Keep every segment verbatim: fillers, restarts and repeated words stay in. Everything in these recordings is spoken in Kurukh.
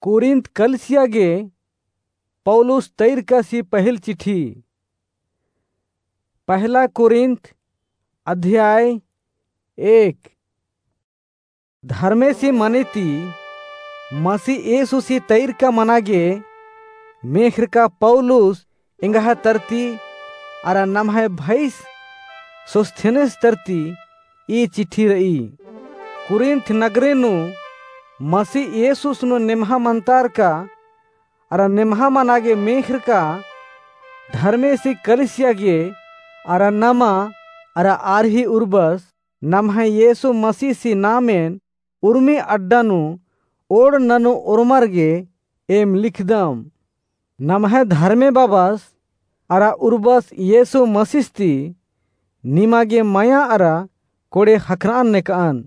कुरिन्थ कलिसिया गे पौलुस तैरकासी पहिल चिट्ठी। पहला कुरिन्थ अध्याय एक। धर्मेसी मने ती मसी येसुसी तैरका मना गे मेख़रका पौलुस एंग्है तरती अरा नम्है भैस सोस्थेनेस तरती ई चिट्ठी र'ई। कुरिन्थ नगरे नू मसी येसुस नू नेम्हा मनतारका अरा नेम्हा मना गे मेख़रका धर्मेसी कलिसिया गे अरा नमा अरा आर ही उर्बस नम्है येसु मसीसी नामेन उर्मी अड्डा नू ओड़ ननू ओर्मर गे एम लिखदम। नम्है धर्मे बाबस अरा उर्बस येसु मसीस ती निमा गे मया अरा कोड़े ख़क्खर'अन नेक'अन।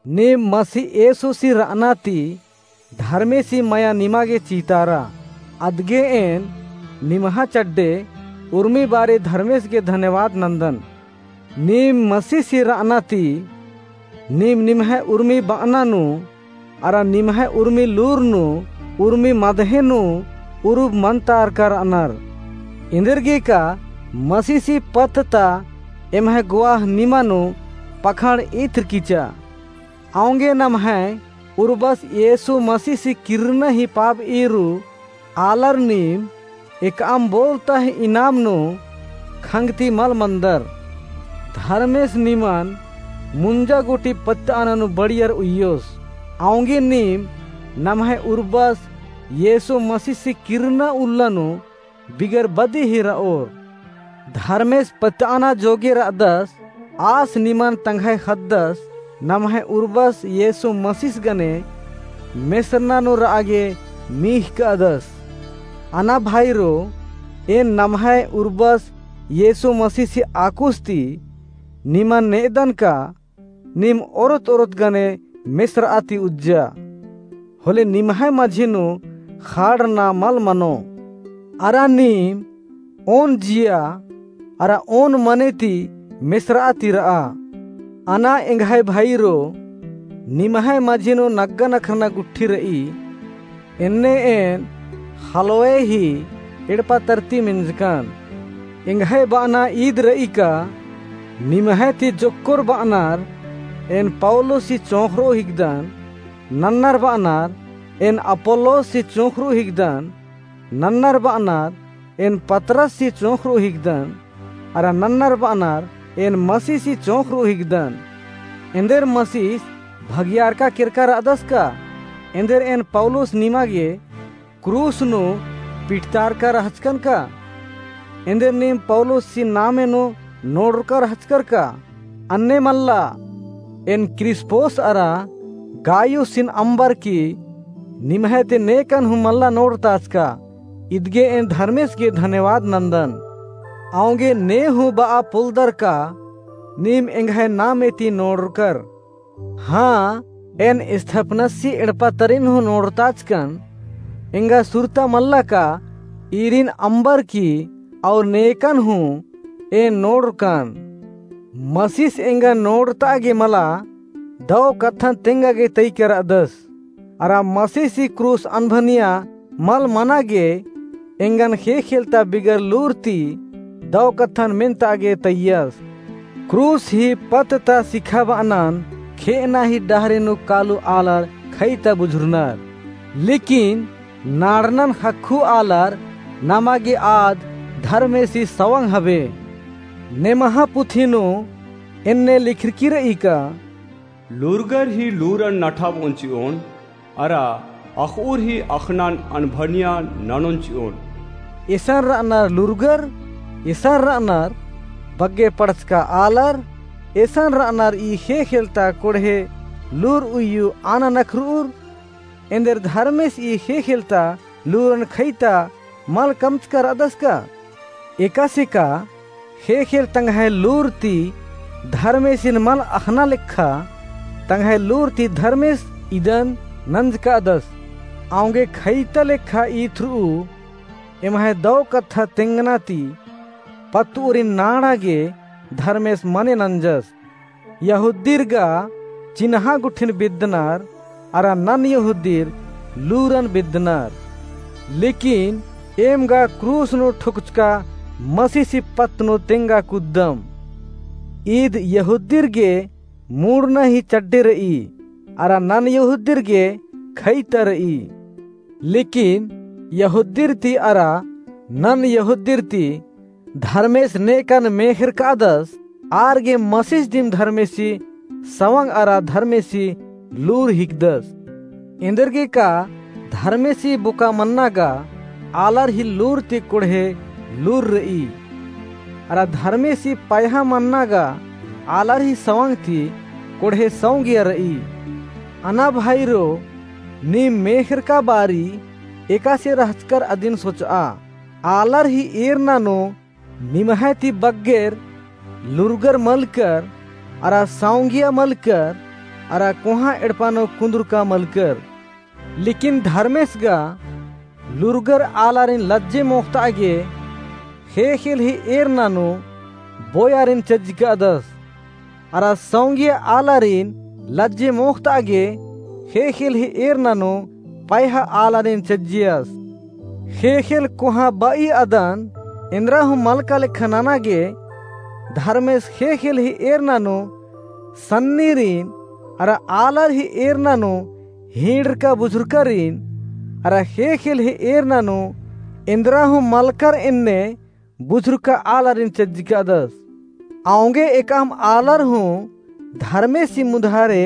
नीम मसी येसुसी र'अना ती धर्मेसी मया निमा गे चितारा। अदगे एन निम्है चड्डे उर्मी बारी धर्मेस गे धन्यवाद नन्दन। नीम मसीसी र'अना ती नीम निम्है उर्मी ब'अना नू अरा निम्है उर्मी लूर नू उर्मी मदहे नू उरुब मनतारका र'अनर। एन्देरगेका मसीसी पत्त ता एम्है गुआह निमा नू पखंड़ इत्र किचा। औंगे नम्है उर्बस येसु मसीसी किर्रना ही पाब'ई रू आलर नीम एकअम बोलता ही इनाम नू खंगती मल मनदर। धर्मेस निमन मुंजा गूटी पत्त'अना नू बड़ियर उइयोस। औंगे नीम नम्है उर्बस येसु मसीसी किर्रना उल्ला नू बिगर बदी ही र'ओर। धर्मेस पत्त'अना जोगे र'अदस, आस निमन तंग्है ख़द्दस नम्है उर्बस येसु मसीस गने मेसरना नू र'आ गे मीख़ कादस। अना भाईरो, एन नम्है उर्बस येसु मसीसी आकुस ती निमन ने'अदन का नीम ओरोत ओरोत गने मेसर'आ ती उज्जा। होले निम्है मझी नू ख़ाड़ना मल मनो। अरा नीम ओन जिया अरा ओन मने ती मेसर'आ ती र'आ। अना एंग्है भाईरो, निम्है मझी नू नग्गा नखरना गुट्ठी र'ई। एन्ने एन ख़लोय ही एड़पा तरती मेंजकन। एंग्है ब'अना ईद र'ई का निम्है ती जोक्कोर ब'अनर एन पौलुसी चोंख़र'ओ हिकदन, नन्नर ब'अनर एन अपोल्लोसी चोंख़र'ओ हिकदन, नन्नर ब'अनर एन पतरससी चोंख़र'ओ हिकदन, अरा नन्नर ब'अनर एन मसीसी चोंख़र'ओ हिकदन। एन्देर मसीस भगियारका केरका र'अदस का? एन्देर एन पौलुस निमा गे क्रूस नू पिटतारका रहचकन का? एन्देर नीम पौलुसी नामे नू नोड़रका रहचकर का? अन्ने मल्ला, एन क्रिस्पोस अरा गायुसिन अम्बर की निम्है ती नेकन हूँ मल्ला नोड़ताचका। इदगे एन धर्मेस गे धन्यवाद नन्दन। औंगे ने हूँ ब'आ पोलदर का नीम एंग्है नामे ती नोड़रकर। हाँ, एन स्तिफनसी एड़पा तरिन हूँ नोड़ताचकन। एंगा सुरता मल्ला का ईरिन अम्बर की और नेकन हूँ एन नोड़रकन। मसीस एंगा नोड़ता गे मला दौ कत्थन तेंगा गे तइकर अदस। अरा मसीसी क्रूस अनभनिया मल मना गे एंगन ख़ेख़ेल ता बिगर लूर ती दौ कत्थन मेन्ता गे तइयस। क्रूस ही पत्त ता सिखाब'अनन ख़े'अना ही डहरे नू कालू आलर ख़ैता बुझुरनर। लेकिन नाड़नन ख़क्खु आलर नमा गे आद धर्मेसी सवंग हबे। नेमहा पुथी नू एन्ने लिखरकी र'ई का लूरगर ही लूरन नठाब'ओन चि'ओन, अरा अख़'उर ही अख़नन अनभनिया ननोन चि'ओन। एसन र'अनर लूरगर, एसन र'अनर बग्गे पड़चका आलर, एसन र'अनर ई ख़ेख़ेल ता कोड़हे लूर उइयु आना नखर'उर। एन्देर धर्मेस ई ख़ेख़ेल ता लूरन ख़ैता मल कमचका र'अदस का? एकासे का ख़ेख़ेल तंग्है लूर ती धर्मेसिन मल अख़ना लेखा तंग्है लूर ती धर्मेस इदन नंजकादस। औंगे ख़ैता लेखा ईथ्र'उ एम्है दौ कत्था तेंगना ती पत्त'उरिन नाड़ा गे धर्मेस मने नंजस। यहूदीर गा चिन्हा गुट्ठिन बिद्दनर, अरा नन यहूदीर लूरन बेद्दनर। लेकिन एम गा क्रूस नू ठोकचका मसीसी पत्त नू तेंगा कुद्दम। ईद यहूदिर गे मुड़ना ही चड्डे र'ई, अरा नन यहूदिर गे खइता र'ई। लेकिन यहूदिर ती अरा नन यहूदिर ती धर्मेस नेकन मेख़ेरकादस, आर गे मसीस दिम धर्मेसी सवंग अरा धर्मेसी लूर हिकदस। एन्देरगे का धर्मेसी बोका मन्ना गा आलर ही लूर ती कोड़हे लूर र'ई। अरा धर्मेसी पयहा मन्ना गा आलर ही सवंग ती कोड़हे सौंगिया र'ई। अना भाईरो, नीम मेख़ेरका बारी एकासे रहचकर अदिन सोच'आ। आलर ही एरना नू निम्है ती बग्गेर लूरगर मलकर, अरा सौंगिया मलकर, अरा कोहाँ एड़पा नू कुन्दुरका मलकर। लेकिन धर्मेस गा लूरगर आलारिन लज्जे मोख़त'आ गे ख़ेख़ेल ही एरना नू बोयारिन चज्जिकादस। अरा सौंगिया आलारिन लज्जे मोख़त'आ गे ख़ेख़ेल ही एरना नू पयहा आलारिन चज्जियस। ख़ेख़ेल कोहाँ ब'ई अदन एन्दरा हूँ मलका लेखा नना गे धर्मेस ख़ेख़ेल ही एरना नू सन्नीरिन, अरा आलर ही एरना नू हींड़रका बुझुरकारिन, अरा ख़ेख़ेल ही एरना नू एन्दरा हूँ मलकर एन्ने बुझुरका आलारिन चज्जिकादस। औंगे एकअम आलर हूँ धर्मेसी मुधारे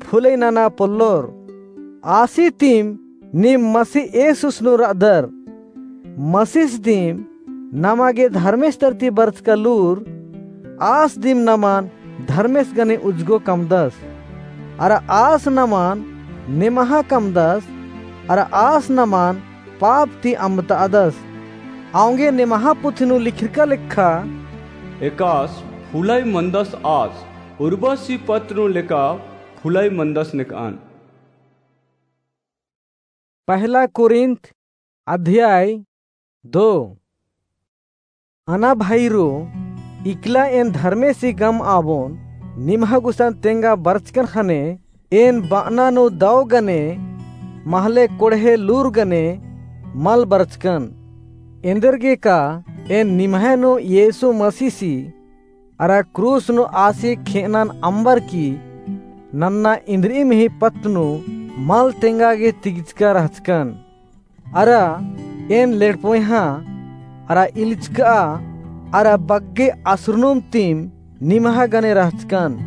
फुलई नना पोल्लोर। आसी तिम नीम मसी येसुस नू र'अदर। मसीस दिम नमा गे धर्मेस तरती बरचका लूर, आस दिम नमन धर्मेस गने उज्जगो कमदस। अरा आस नमन निम्हा कमदस, अरा आस नमन पाप ती अम्बतादस। औंगे निम्हा पुथी नू लिखिरका लेखा, एकास फुलई मनदस आस, उर्बसी पत्त नू लेका फुलई मनदस नेकअन। पहला कुरिन्थ अध्याय दो। अना भाईरो, इकला एन धर्मेसी गम आबोन निम्हा गुसन तेंगा बरचकन ख़ने, एन बअना नू दौ गने महले कोड़हे लूर गने मल बरचकन। एन्देरगे का एन निम्है नू येसु मसीसी अरा क्रूस नू आसी खेअनन अम्बर की नन्ना इन्द्रिइम ही पत्त नू मल तेंगा गे तिगचका रहचकन। अरा एन लेड़पोइहाँ अरा इलिचकआ अरा बग्गे असुरनुम तिम निम्हा गने रहचकन।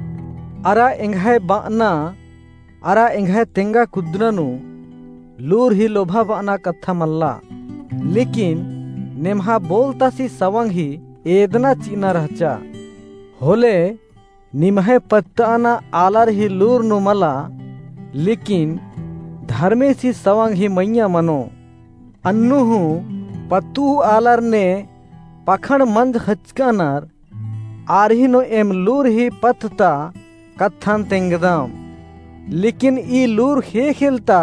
अरा एंग्है बअना अरा एंग्है तेंगा कुद्दना नू लूर ही लोभा बअना कत्था मल्ला। लेकिन निम्हा बोलतासी सवंग ही एदना चिअना रहचा। होले निम्है पत्तअना आलर ही लूर नू मला, लेकिन धर्मेसी सवंग ही मइय्याँ मनो। अन्नु हूँ पत्तु आलर ने पखंड़ मंज ख़चकनर, आर ही नू एम लूर ही पत्त ता कत्थन तेंगदम। लेकिन ई लूर ख़ेख़ेल ता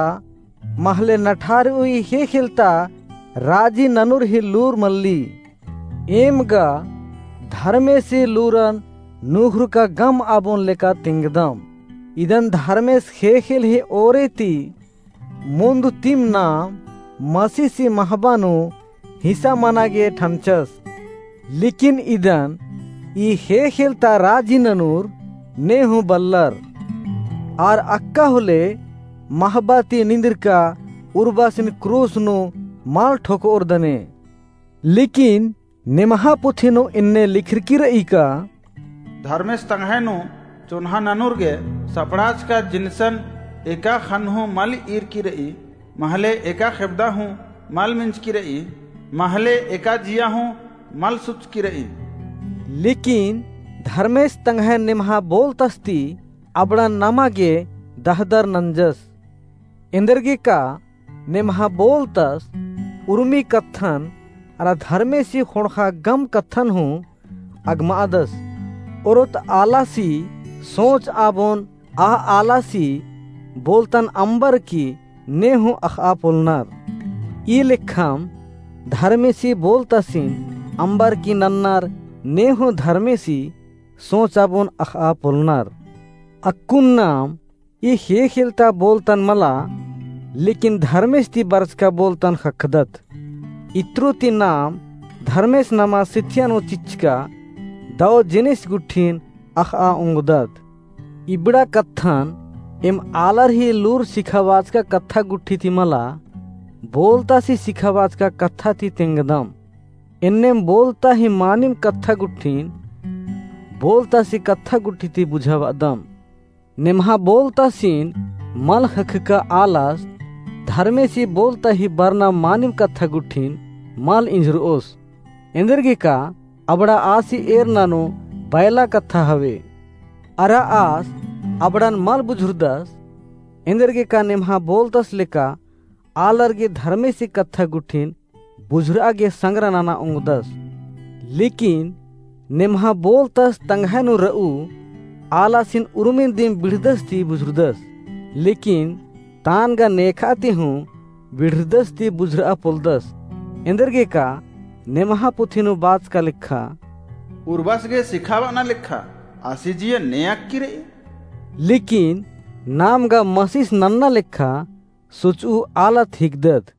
महले नठारउई ख़ेख़ेल ता राजी ननुर ही लूर मल्ली। एम गा धर्मेसी लूरन नुख़ुरका गम आबोन लेका तेंगदम। इदन धर्मेस ख़ेख़ेल ही ओरे ती मुन्द तिम नाम मसीसी महबा नू हिस्सा मना गे ठनचस। लेकिन इदन ई ख़ेख़ेल ता राजी ननुर ने हूँ बल्लर। आर अक्का होले महबा ती निंदिरका उर्बासिन क्रूस नू मल ठोकओर दने। लेकिन निम्हा पुथी नू इन्ने लिखरकी र'ई का, धर्मेस तंग्है नू चोन्हा ननुर गे सपड़ाचका जिनिसन एका ख़न्न हूँ मल ईरकी र'ई, महले एका ख़ेबदा हूँ मल मिंजकी र'ई, महले एका जिया हूँ मल सुचकी र'ई। लेकिन धर्मेस तंग्है निम्हा बोलतस ती अबड़न नमा गे दहदर नंजस। एन्देरगे का निम्हा बोलतस उर्मी कत्थन अरा धर्मेसी ख़ोंड़ख़ा गम कत्थन हूँ अगमआदस। ओरोत आलासी सोच आबोन आ आलासी बोलतन अम्बर की ने हूँ अख़आ पोलनर। ई लेखम धर्मेसी बोलतसिन अम्बर की नन्नर ने हूँ धर्मेसी सोच आबोन अख़आ पोलनर। अक्कुन नाम ई ख़ेख़ेल ता बोलतन मला, लेकिन धर्मेस ती बरचका बोलतन ख़क्खदत। इत्रु ती नाम धर्मेस नमा सिथिया नू चिच्चका दव जिनिस गुट्ठिन अख़आ ओंगदत। इबड़ा कत्थन एम आलर ही लूर सिखाबाचका कत्था गुट्ठी ती मला, बोलतासी सिखाबाचका कत्था ती तेंगदम। एन्नेम बोलता ही मानिम कत्था गुट्ठिन बोलतासी कत्था गुट्ठी ती बुझाबअदम। नेम्हा बोलतासिन मल ख़क्खका आलस धर्मेसी बोलता ही बरना मानिम कत्था गुट्ठिन मल इंझरओस। एन्देरगेका अबड़ा आसी एरना नू बैला कत्था हवे। अरा आस अबड़न मल बुझुरदस। एन्देरगेका नेम्हा बोलतस लेका आलर गे धर्मेसी कत्था गुट्ठिन बुझुरआ गे संग्रा नना ओंगदस। लेकिन नेम्हा बोलतस तंग्है नू रऊ आलासिन उर्मिन दिम बिड़दस ती बुझुरदस। लेकिन तान गा नेखा ती हूँ बिड़दस ती बुझुरआ पोलदस। एन्देरगेका नेम्हा पुथी नू बाचका लेखा, उर्बस गे सिखाबअना लेखा आसी जिया ने अक्की रई। लेकिन नाम गा मसीस नन्ना लेखा सोचऊ आलत हिकदत।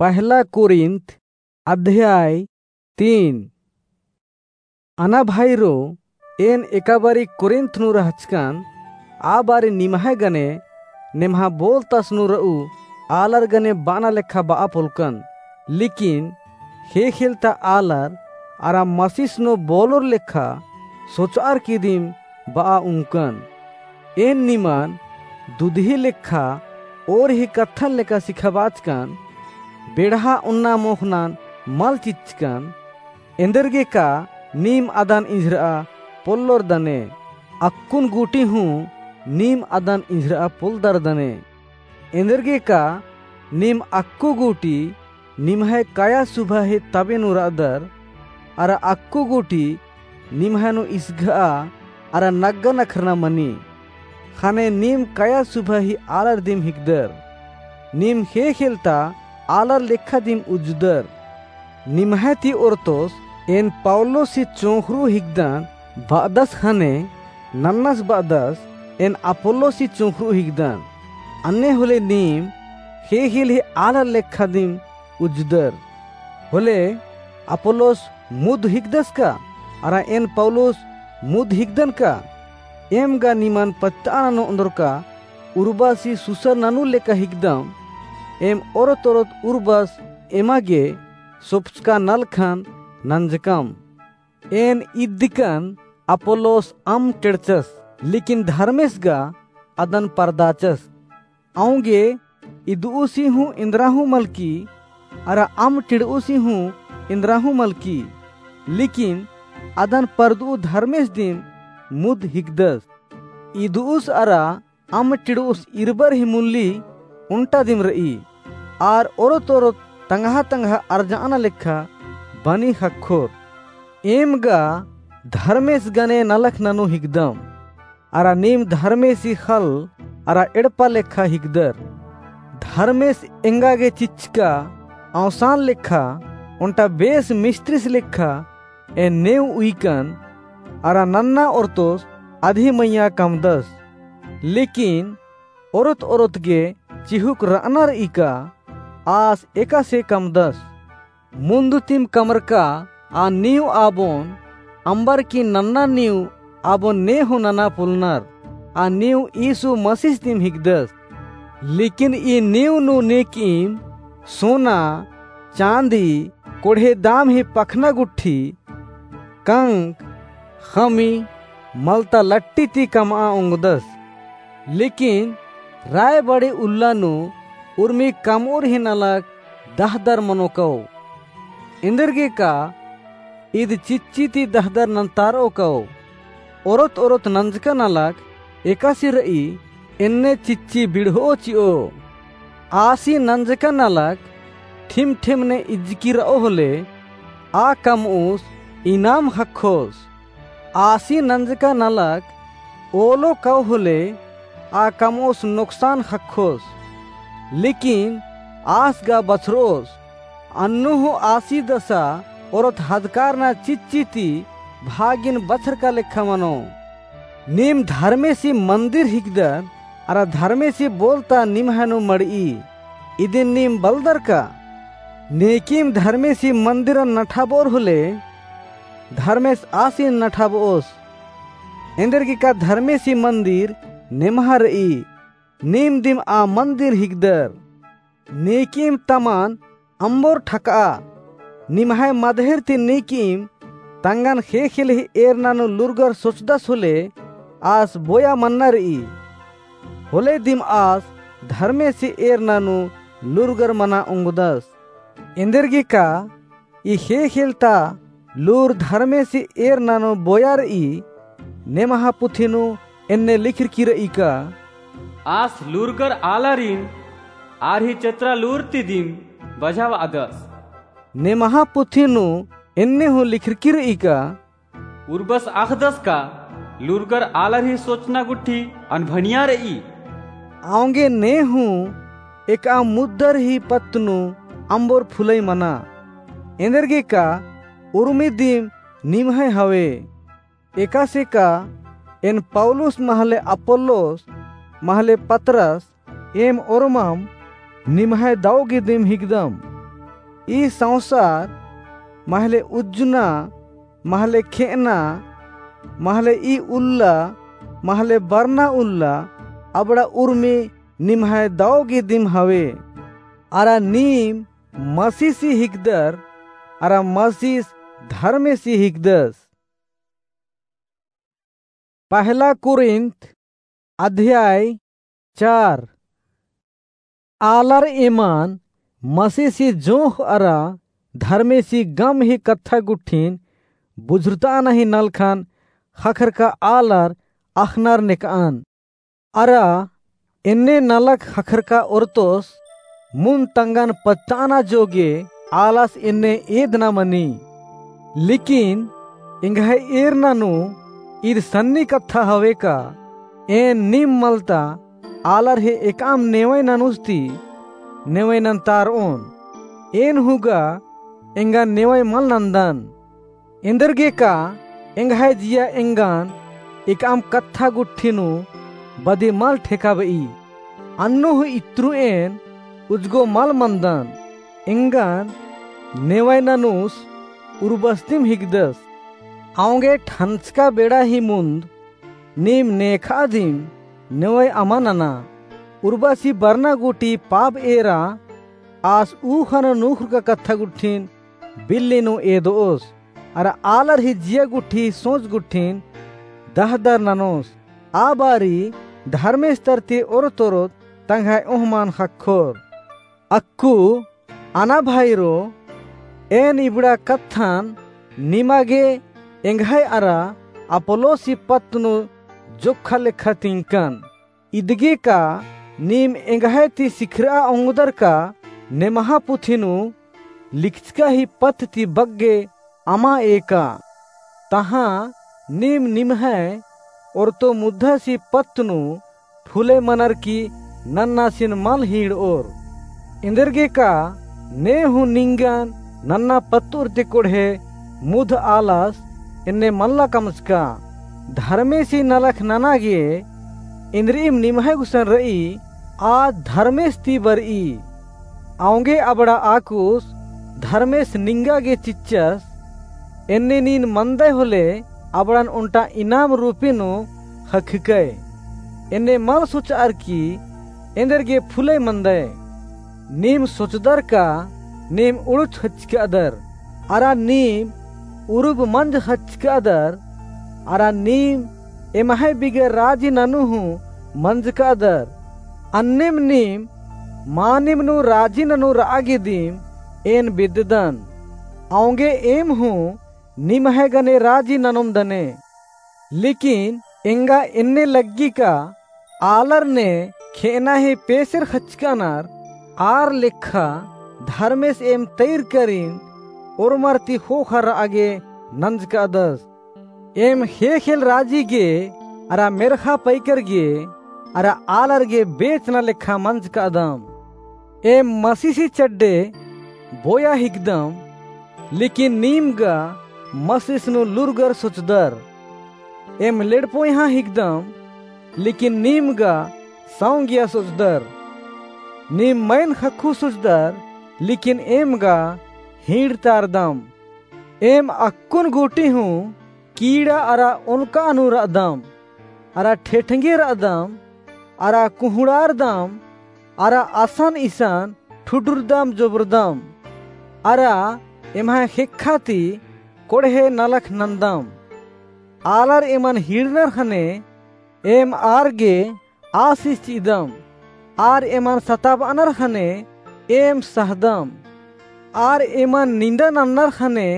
पहला कोरिन्थ अध्याय तीन। अना भाईरो, एन एका बारी कोरिन्थ नू रहचकन, आ बारी निम्है गने नेम्हा बोलतस नू रऊ आलर गने बअना लेखा बआ पोलकन। लेकिन ख़ेख़ेलता आलर अरा मसीस नू बोलोर लेखा सोचअर की दिम बआ उंगकन। एन निमन दुदही लेखा ओर ही कत्थन लेखा सिखाबाचकन, बेड़हा ओन्ना मोख़नन मल चिच्चकन। एन्देरगेका नीम अदन इंझरआ पोल्लोर दने, अक्कुन गूटी हूँ नीम अदन इंझरआ पोल्लदर दने। एन्देरगेका नीम अक्कु गूटी निम्है कया सुभा ही तबे नू रअदर, अरा अक्कु गूटी निम्है नू इसघआ अरा नग्गा नखरना मनी। ख़ने नीम कया सुभा ही आलर दिम हिकदर। नीम ख़ेख़ेलता आलर लेखा दिम उज्जुदर। निम्है ती ओरतोस एन पौलुस ही चोंख़रू हिकदन बअदस ख़ने नन्नस बअदस एन अपोल्लोस ही चोंख़रू हिकदन। अन्ने होले नीम ख़ेख़ेल ही आलर लेखा दिम उज्जुदर। होले अपोल्लोस मुद हिकदस का? अरा एन पौलुस मुद हिकदन का? एम गा निमन पत्तआ ननू ओन्दरका उर्बस ही सुसर ननू लेखा हिकदम। एम ओरत ओरत उर्बस एमा गे सोपचका नलखन नंजकम। एन इदिकन अपोल्लोस अम्म टेड़चस, लेकिन धर्मेस गा अदन परदाचस। औंगे इदउसी हूँ इन्द्रा हूँ मलकी, अरा अम्म टिड़उसी हूँ इन्द्रा हूँ मलकी, लेकिन अदन परदउ धर्मेस दिम मुद हिकदस। इदउस अरा अम्म टिड़उस इरबर ही मुल्ली ओन्टा दिम रई, आर ओरत ओरत तंगआ तंगआ अरजअना लेखा बनी ख़क्खोर। एम गा धर्मेस गने नलख ननू हिकदम, अरा नीम धर्मेसी ख़ल्ल अरा एड़पा लेखा हिकदर। धर्मेस एंगा गे चिच्चका औसान लेखा, ओन्टा बेस मिस्त्रिस लेखा एन नेव उइकन, अरा नन्ना ओरतोस अदी मइय्याँ कमदस। लेकिन ओरत ओरत गे चिहुक रअनर इका आस एकासे कमदस। मुन्द तिम कमरका आ नीव आबोन अम्बर की नन्ना नीव आबोन ने हूँ नना पोलनर। आ नीव यीशु मसीस तिम हिकदस। लेकिन ई नीव नू नेकिम सोना, चाँदी, कोड़हे दाम ही पखना गुट्ठी, कंक, ख़मी, मलता लट्टी ती कमआ ओंगदस। लेकिन रायबाड़ी उल्ला नू उर्मी कमउर ही नलख दहदर मनो कओ। एन्देरगेका ईद चिच्ची ती दहदर नन्तारओ कओ। ओरत ओरत नंजका नलख एकासे रई, एन्ने चिच्ची बिड़हओ चिओ। आसी नंजका नलख ठिम ठिम ने इज्जकी रओ होले, आ कमउस इनाम ख़क्खोस। आसी नंजका नलख ओलो कओ होले, आ कमउस नोकसान ख़क्खोस। लेकिन आस गा बछरओस, अन्नु हूँ आसी दसा ओरत हदकारना चिच्ची ती भागिन बछरका लेखा मनो। नीम धर्मेसी मन्दिर हिकदर, अरा धर्मेसी बोल ता निम्है नू मड़ई। इदिन नीम बलदर का? नेकीम धर्मेसी मंदिरन नठाबओर होले, धर्मेस आसिन नठाबओस। एन्देरगेका धर्मेसी मंदिर नेम्हा रई, नीम दिम आ मंदिर हिकदर। नेकीम तमन अम्बोर ठकआ। निम्है मदहेर ती नेकीम तंगन ख़ेख़ेल ही एरना नू लूरगर सोचदस होले, आस बोया मन्ना रई। होले दिम आस धर्मेसी एरना नू लूरगर मना ओंगदस। एन्देरगेका ई ख़ेख़ेल ता लूर धर्मेसी एरना नू बोया रई। नेम्हा पुथी नू एन्ने लिखरकी रई का, आस लूरगर आलारिन आर ही चतरा लूर ती दिम बझाबअदस। नेम्हा पुथी नू एन्ने हूँ लिखरकी रई का, उर्बस अख़दस का लूरगर आलर ही सोचना गुट्ठी अनभनिया रई। औंगे ने हूँ एकअम मुद्दर ही पत्त नू अम्बोर फुलई मना। एन्देरगेका उर्मी दिम निम्है हवे। एकासे का एन पौलुस महले अपोल्लोस महले पतरस एम ओर्मम निम्है दौ गे दिम हिकदम। ई संसार महले उज्जना, महले खेअना, महले ई उल्ला, महले बरना उल्ला, अबड़ा उर्मी निम्है दौ गे दिम हवे। अरा नीम मसीसी हिकदर, अरा मसीस धर्मेसी हिकदस। पहला कुरिन्थ अध्याय चार। आलर एमन मसीसी जोंख़ अरा धर्मेसी गम ही कत्था गुट्ठिन बुझुरताना ही नलखन ख़क्खरका आलर अख़नर नेकअन। अरा एन्ने नलख ख़क्खरका ओरतोस मुन्द तंगन पत्ताना जोगे आलस एन्ने एदना मनी। लेकिन एंग्है एरना नू ईद सन्नी कत्था हवे का, एन नीम मलता आलर हे एकअम नेवय ननुस ती नेवय नन्तारओन। एन हूँ गा एंगा नेवय मल नन्दन। एन्देरगेका एंग्है जिया एंगन एकअम कत्था गुट्ठी नू बदी मल ठेकाबई। अन्नु हूँ इत्रु एन उजगो मल मन्दन। एंगन नेवय ननुस उर्बस्तिम हिकदस। औंगे ठंचका बेड़ा ही मुन्द नीम नेखा दिम नेवय अमा नना। उर्बसी बरना गूटी पाप एरा आस ऊख़ा नू नूख़रका कत्था गुट्ठिन बिल्ली नू एदोस, अरा आलर ही जिया गुट्ठी सोच गुट्ठिन दहदर ननोस। आ बारी धर्मेस तरती ओरोत ओरोत तंग्है ओहमन ख़क्खोर। अक्कु अना भाईरो, एन इबड़ा कत्थन निमा गे एंग्है अरा अपोल्लोसी पत्त नू जोक्खा लेखा तिंकन। इदगे का नीम एंग्है ती सिखरआ ओंगदर का नेमहा पुथी नू लिखचका ही पत्त ती बग्गे अमा एका। तहाँ नीम निम्है ओरतो मुद्धासी पत्त नू फुले मनर की नन्नासिन मल हींड़ओर। एन्देरगे का ने हूँ निंगन नन्ना पत्तुर ती कोड़हे मुध आलस एन्ने मल्ला कमचका। धर्मेसी नलख नना गे एन्देरिम निम्है गुसन रई, आ धर्मेस ती बरई। औंगे अबड़ा आकुस धर्मेस निंगा गे चिच्चस, एन्ने नीन मन्दय होले अबड़न ओन्टा इनाम रूपी नू ख़क्खकय। एन्ने मल सोचअर की एन्देरगे फुलय मन्दय। नीम सोचदर का नीम उड़ुच ख़च्चकादर, अरा नीम उरुब मंज ख़च्चकादर, अरा नीम एम्है बिगर राजी ननू हूँ मंजकादर। अन्नेम नीम मानिम नू राजी ननू रआ गे दिम एन बेद्ददन। औंगे एम हूँ निम्है गने राजी ननोम दने। लेकिन एंगा एन्ने लग्गी का आलर ने खेअना ही पेसेर ख़च्चकानर, आर लेखा धर्मेस एम तैर करिन ओर्मर ती ख़ोख़ा रआ गे नंजकादस। एम ख़ेख़ेल राजी गे अरा मेर्ख़ा पैकर गे अरा आलर गे बेचना लेखा मंजकादम। एम मसीसी चड्डे बोया हिकदम, लेकिन नीम गा मसीस नू लूरगर सोचदर। एम लेड़पोयहाँ हिकदम, लेकिन नीम गा सौंगिया सोचदर। नीम मइन ख़क्खु सोचदर, लेकिन एम गा हींड़तारदम। एम अक्कुन गूटी हूँ कीड़ा अरा ओनका नू रअदम, अरा ठेठंगे रअदम, अरा कुँहड़ारदम, अरा असन इसन ठुडुरदम जोबरदम, अरा एम्है ख़ेक्खा ती कोड़हे नलख नन्दम। आलर एमन हींड़नर ख़ने एम आर गे आसिस चिअदम, आर एमन सताबअनर ख़ने एम सहदम, आर एमन निंदा नन्नर ख़ने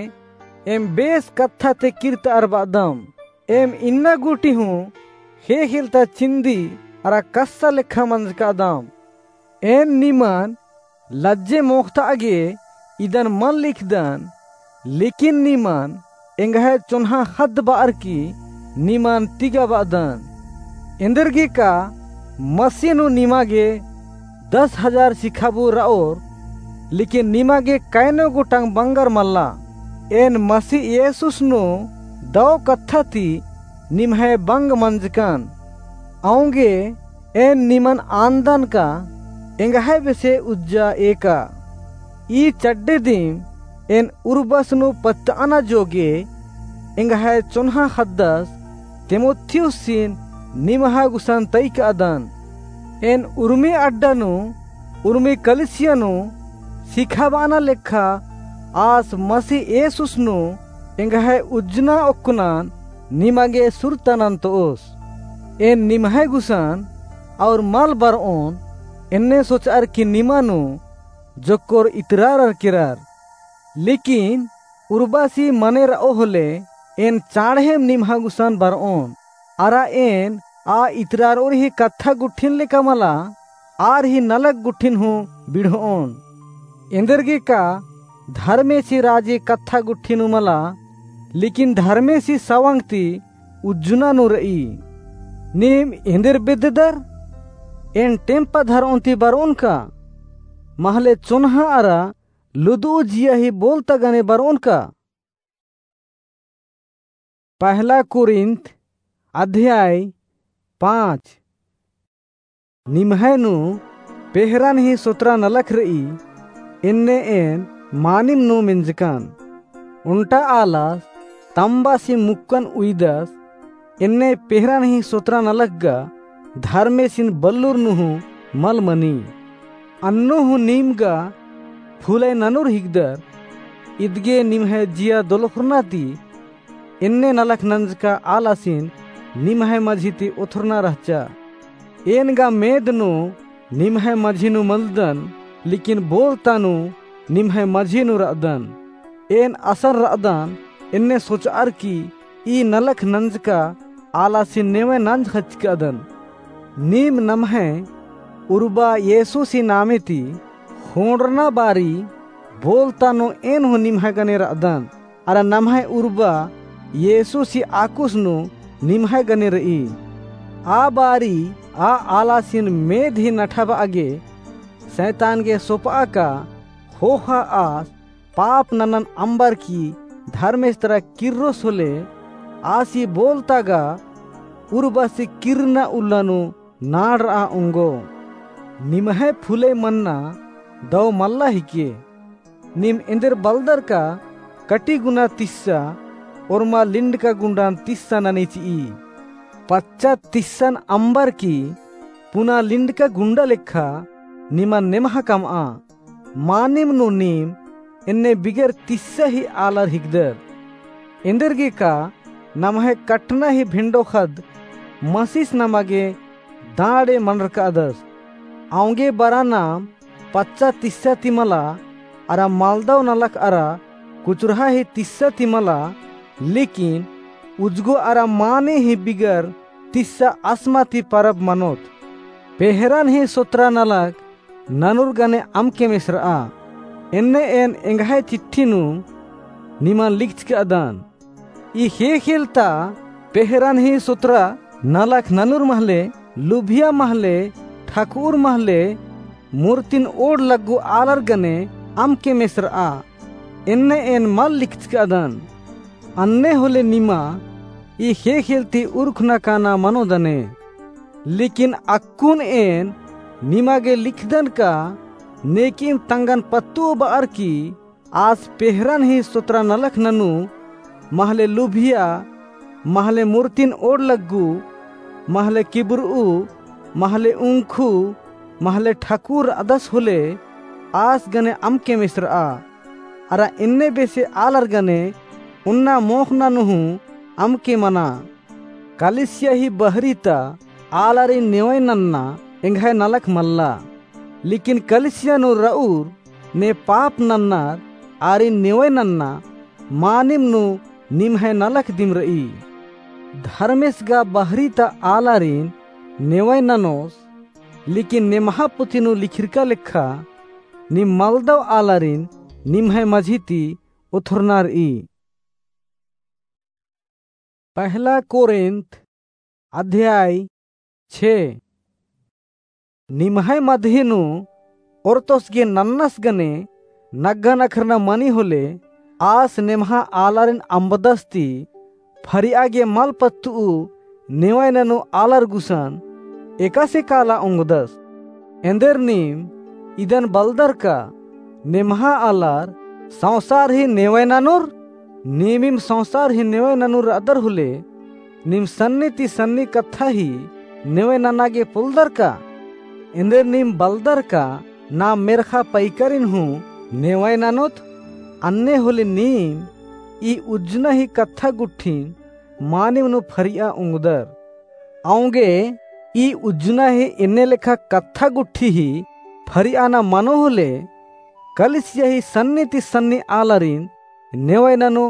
एम बेस कत्था ती किर्रतअर बअदम। एम इन्ना गूटी हूँ ख़ेख़ेलता चिन्दी अरा कस्सा लेखा मंजकादम। एन निमन लज्जे मोख़तआ गे इदन मल लिखदन, लेकिन निमन एंग्है चोन्हा ख़द्द बअर की निमन तिगा बअदन। एन्देरगे का मसीह नू निमा गे दस हजार सिखाबू रओर, लेकिन निमा गे कैनो गोटंग बंगर मल्ला। एन मसीह येसुस नू दौ कत्था ती निम्है बंग मंजकन। औंगे एन निमन आन्दन का एंग्है बेसे उज्जा एका। ई चड्डे दिम एन उर्बस नू पत्तअना जोगे एंग्है चोन्हा ख़द्दस तीमुथियुसिन निम्है गुसन तइकअदन। एन उर्मी अड्डा नू, उर्मी कलिसिया नू सिखाबअना लेखा आस मसीह येसुस नू एंग्है उज्जना ओक्कनन निमा गे सुरता नन्तओस। एन निम्है गुसन और मल बरओन एन्ने सोचअर की निमा नू जोक्कोर इतरारर केरर। लेकिन उर्बासी मने रओ होले एन चाँड़हेम निम्है गुसन बरओन। अरा एन आ इतरारओर ही कत्था गुट्ठिन लेका मला, आर ही नलख गुट्ठिन हूँ बिढ़ओन। एन्देरगे का धर्मेसी राजी कत्था गुट्ठिन हूँ मला, लेकिन धर्मेसी सवंग ती उज्जना नू रई। नीम एन्देर बेद्ददर? एन टेम्पा धरओन ती बरओन का? महले चोन्हा अरा लुदुउ जिया ही बोलता गने बरओन का? पहला कुरिन्थ अध्याय पाँच। निम्है नू पेहरन ही सोतरा नलख रई, एन्ने एन मानिम नू मेंजकन। ओन्टा आलस तम्बासी मुक्कन उइदस, एन्ने पेहरन ही सोतरा नलख गा धर्मेसिन बल्लुर नू हूँ मल मनी। अन्नु हूँ नीम गा फुलय ननुर हिकदर, इदगे निम्है जिया दोलख़ुरना ती एन्ने नलख नंजका आलासिन निम्है मझी ती ओथुरना रहचा। एन गा मेद नू निम्है मझी नू मलदन, लेकिन बोलता नू निम्है मझी नू रअदन। एन असन रअदन एन्ने सोचअर की ई नलख नंजका आलासिन नेवय नंज ख़चकदन। नीम नम्है उर्बा येसुसी नामे ती ख़ोंड़रना बारी बोलता नू एन हूँ निम्है गने रअदन, अरा नम्है उर्बा येसुसी आकुस नू निम्है गने रई। आ बारी आ आलासिन मेद ही नठाबआ गे सैतान गे सोपआ का ख़ोख़ा आस पाप ननन अम्बर की धर्मेस तरा किर्रोस होले, आसी बोलता गा उर्बासी किर्रना उल्ला नू नाड़रआ ओंगो। निम्है फुलय मन्ना दौ मल्ला हिके। नीम एन्देर बलदर का कटी गुना तिस्सा ओर्मा लिंडका गुंडान तिस्सा ननी चिई। पच्चा तिस्सन अम्बर की पुना लिंडका गुंडा लेखा निमन नेम्हा कमआ। मानिम नू नीम एन्ने बिगर तिस्सा ही आलर हिकदर। एन्देरगे का नम्है कटना ही भेंडो ख़द्द मसीस नमा गे दाड़े मनरकादस। औंगे बरा नाम पच्चा तिस्सा ती मला, अरा मालदव नलख अरा कुचुरहा ही तिस्सा ती मला, लेकिन उजगो अरा माने ही बिगर तिस्सा असमा ती परब मनोत। पेहरन ही सोतरा नलख ननुर गने अमके मेसरआ। एन्ने एन एंग्है चिट्ठी नू निमन लिखचकदन। ई ख़ेख़ेलता पेहरन ही सोतरा नलख ननुर महले, लुभिया महले, ठकुर महले, मूर्तिन ओड़ लग्गु आलर गने अमके मेसरआ। एन्ने एन मल लिखचकदन। अन्ने होले निमा ई ख़ेख़ेलती उरखना काना मनोदने। लेकिन अक्कुन एन निमा गे लिखदन का नेकिम तंगन पत्तु बअर की आस पेहरन ही सोतरा नलख ननू, महले लुभिया, महले मूर्तिन ओड़ लग्गू, महले किबुरऊ, महले उंखू, महले ठकुर अदस होले, आस गने अमके मेसरआ। अरा एन्ने बेसे आलर गने उन्ना मोख़ना नू हूँ अमके मना। कलिसिया ही बहरी ता आलारिन नेवय नन्ना एंग्है नलख मल्ला। लेकिन कलिसिया नू रऊर ने पाप नन्नर आरिन नेवय नन्ना मानिम नू निम्है नलख दिम रई। धर्मेस गा बहरी ता आलारिन नेवय ननोस, लेकिन नेम्हा पुथी नू लिखिरका लेखा नीम मलदव आलारिन निम्है मझी ती ओथरना रई। पहला कोरिन्थ अध्याय छे। निम्है मधे नू ओरतोस गे नन्नस गने नग्गा नखरना मनी होले, आस नेम्हा आलारिन अम्बदस ती फरिया गे मल पत्तुउ नेवय ननू आलर गुसन एकासे काला ओंगदस। एन्देर नीम इदन बलदर का नेम्हा आलर संसार ही नेवय ननुर? नीमिम संसार ही नेवय ननुर रअदर होले, नीम सन्नी ती सन्नी कत्था ही नेवय नना गे पोलदर का? एन्देर नीम बलदर का नाम मेर्खा पैकरिन हूँ नेवय ननोत? अन्ने होले नीम ई उज्जना ही कत्था गुट्ठिन मानिम नू फरिया ओंगदर। औंगे ई उज्जना ही एन्ने लेखा कत्था गुट्ठी ही फरियाना मनो होले, कलिसिया ही सन्नी ती सन्नी आलारिन नेवय ननू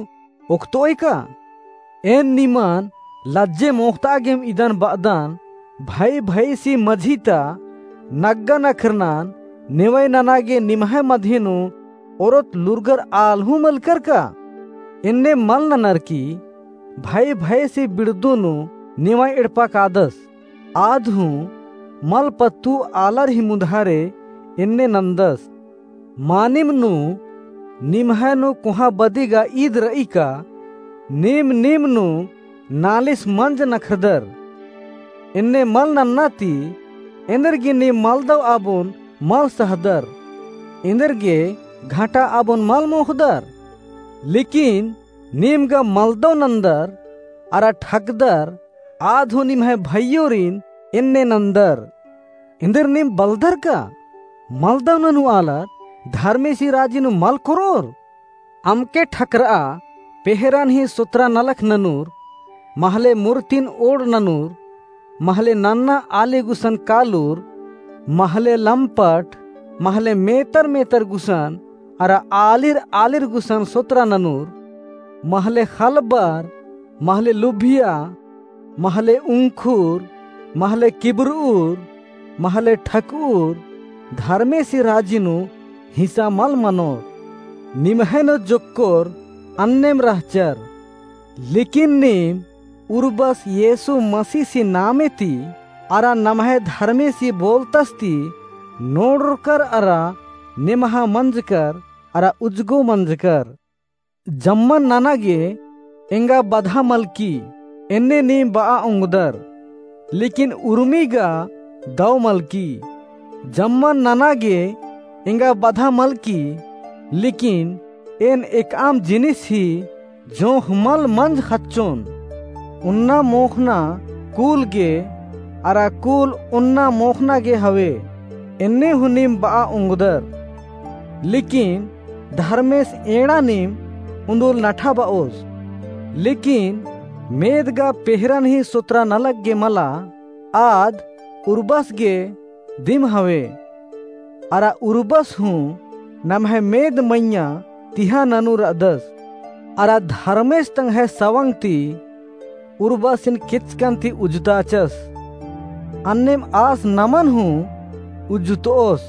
ओक्तोय का? एन निमन लज्जे मोख़ता गेम इदन बअदन, भई भईसी मझी ता नग्गा नखरनन नेवय नना गे निम्है मधे नू ओरोत लूरगर आल हूँ मलकर का? एन्ने मल ननर की भई भईसी बिड़दू नू नेवय एड़पा कादस। आद हूँ मल पत्तु आलर ही मुधारे एन्ने नन्दस। मानिम नू निम्है नू कोहाँ बदी गा ईद रई का नीम नीम नू नालिस मंज नखरदर? एन्ने मल नन्ना ती एन्देर गे नीम मलदव आबोन मल सहदर, एन्देर गे घाटा आबोन मल मोख़दर। लेकिन नीम गा मलदव नन्दर अरा ठगदर, आद हूँ निम्है भइयोरिन एन्ने नन्दर। एन्देर नीम बलदर का मलदव ननू आलर धर्मेसी राजी नू मल कोरोर? अमके ठकरआ पेहरन ही सोतरा नलख ननुर, महले मूर्तिन ओड़ ननुर, महले नन्ना आली गुसन कालुर, महले लम्पट, महले मेतर मेतर गुसन, अरा आलिर आलिर गुसन सोतरा ननुर, महले खलबर, महले लुभिया, महले उंखुर, महले किबुरउर, महले ठकउर, धर्मेसी राजी नू हिसा मल मनोर। निम्है नू जोक्कोर अन्नेम रहचर। लेकिन नीम उर्बस येसु मसीसी नामे ती अरा नम्है धर्मेसी बोलतस ती नोड़रकर अरा नेम्हा मंजकर अरा उजगो मंजकर। जम्मन नना गे एंगा बधा मलकी, एन्ने नीम बआ ओंगदर, लेकिन उर्मी गा दव मलकी। जम्मन नना गे एंगा बधा मलकी, लेकिन एन एकअम जिनिस ही जोंख़ मल मंज ख़च्चोन। उन्ना मोख़ना कुल गे, अरा कुल उन्ना मोख़ना गे हवे, एन्ने हूँ नीम बआ ओंगदर। लेकिन धर्मेस एंड़ा नीम उन्दुल नठा बओस। लेकिन मेद गा पेहरन ही सोतरा नलख गे मला, आद उर्बस गे दिम हवे। अरा उर्बस हूँ नम्है मेद मइय्याँ तिहा ननू रअदस। अरा धर्मेस तंग्है सवंग ती उर्बसिन केचकन ती उज्जताचस। अन्नेम आस नमन हूँ उज्जुतओस।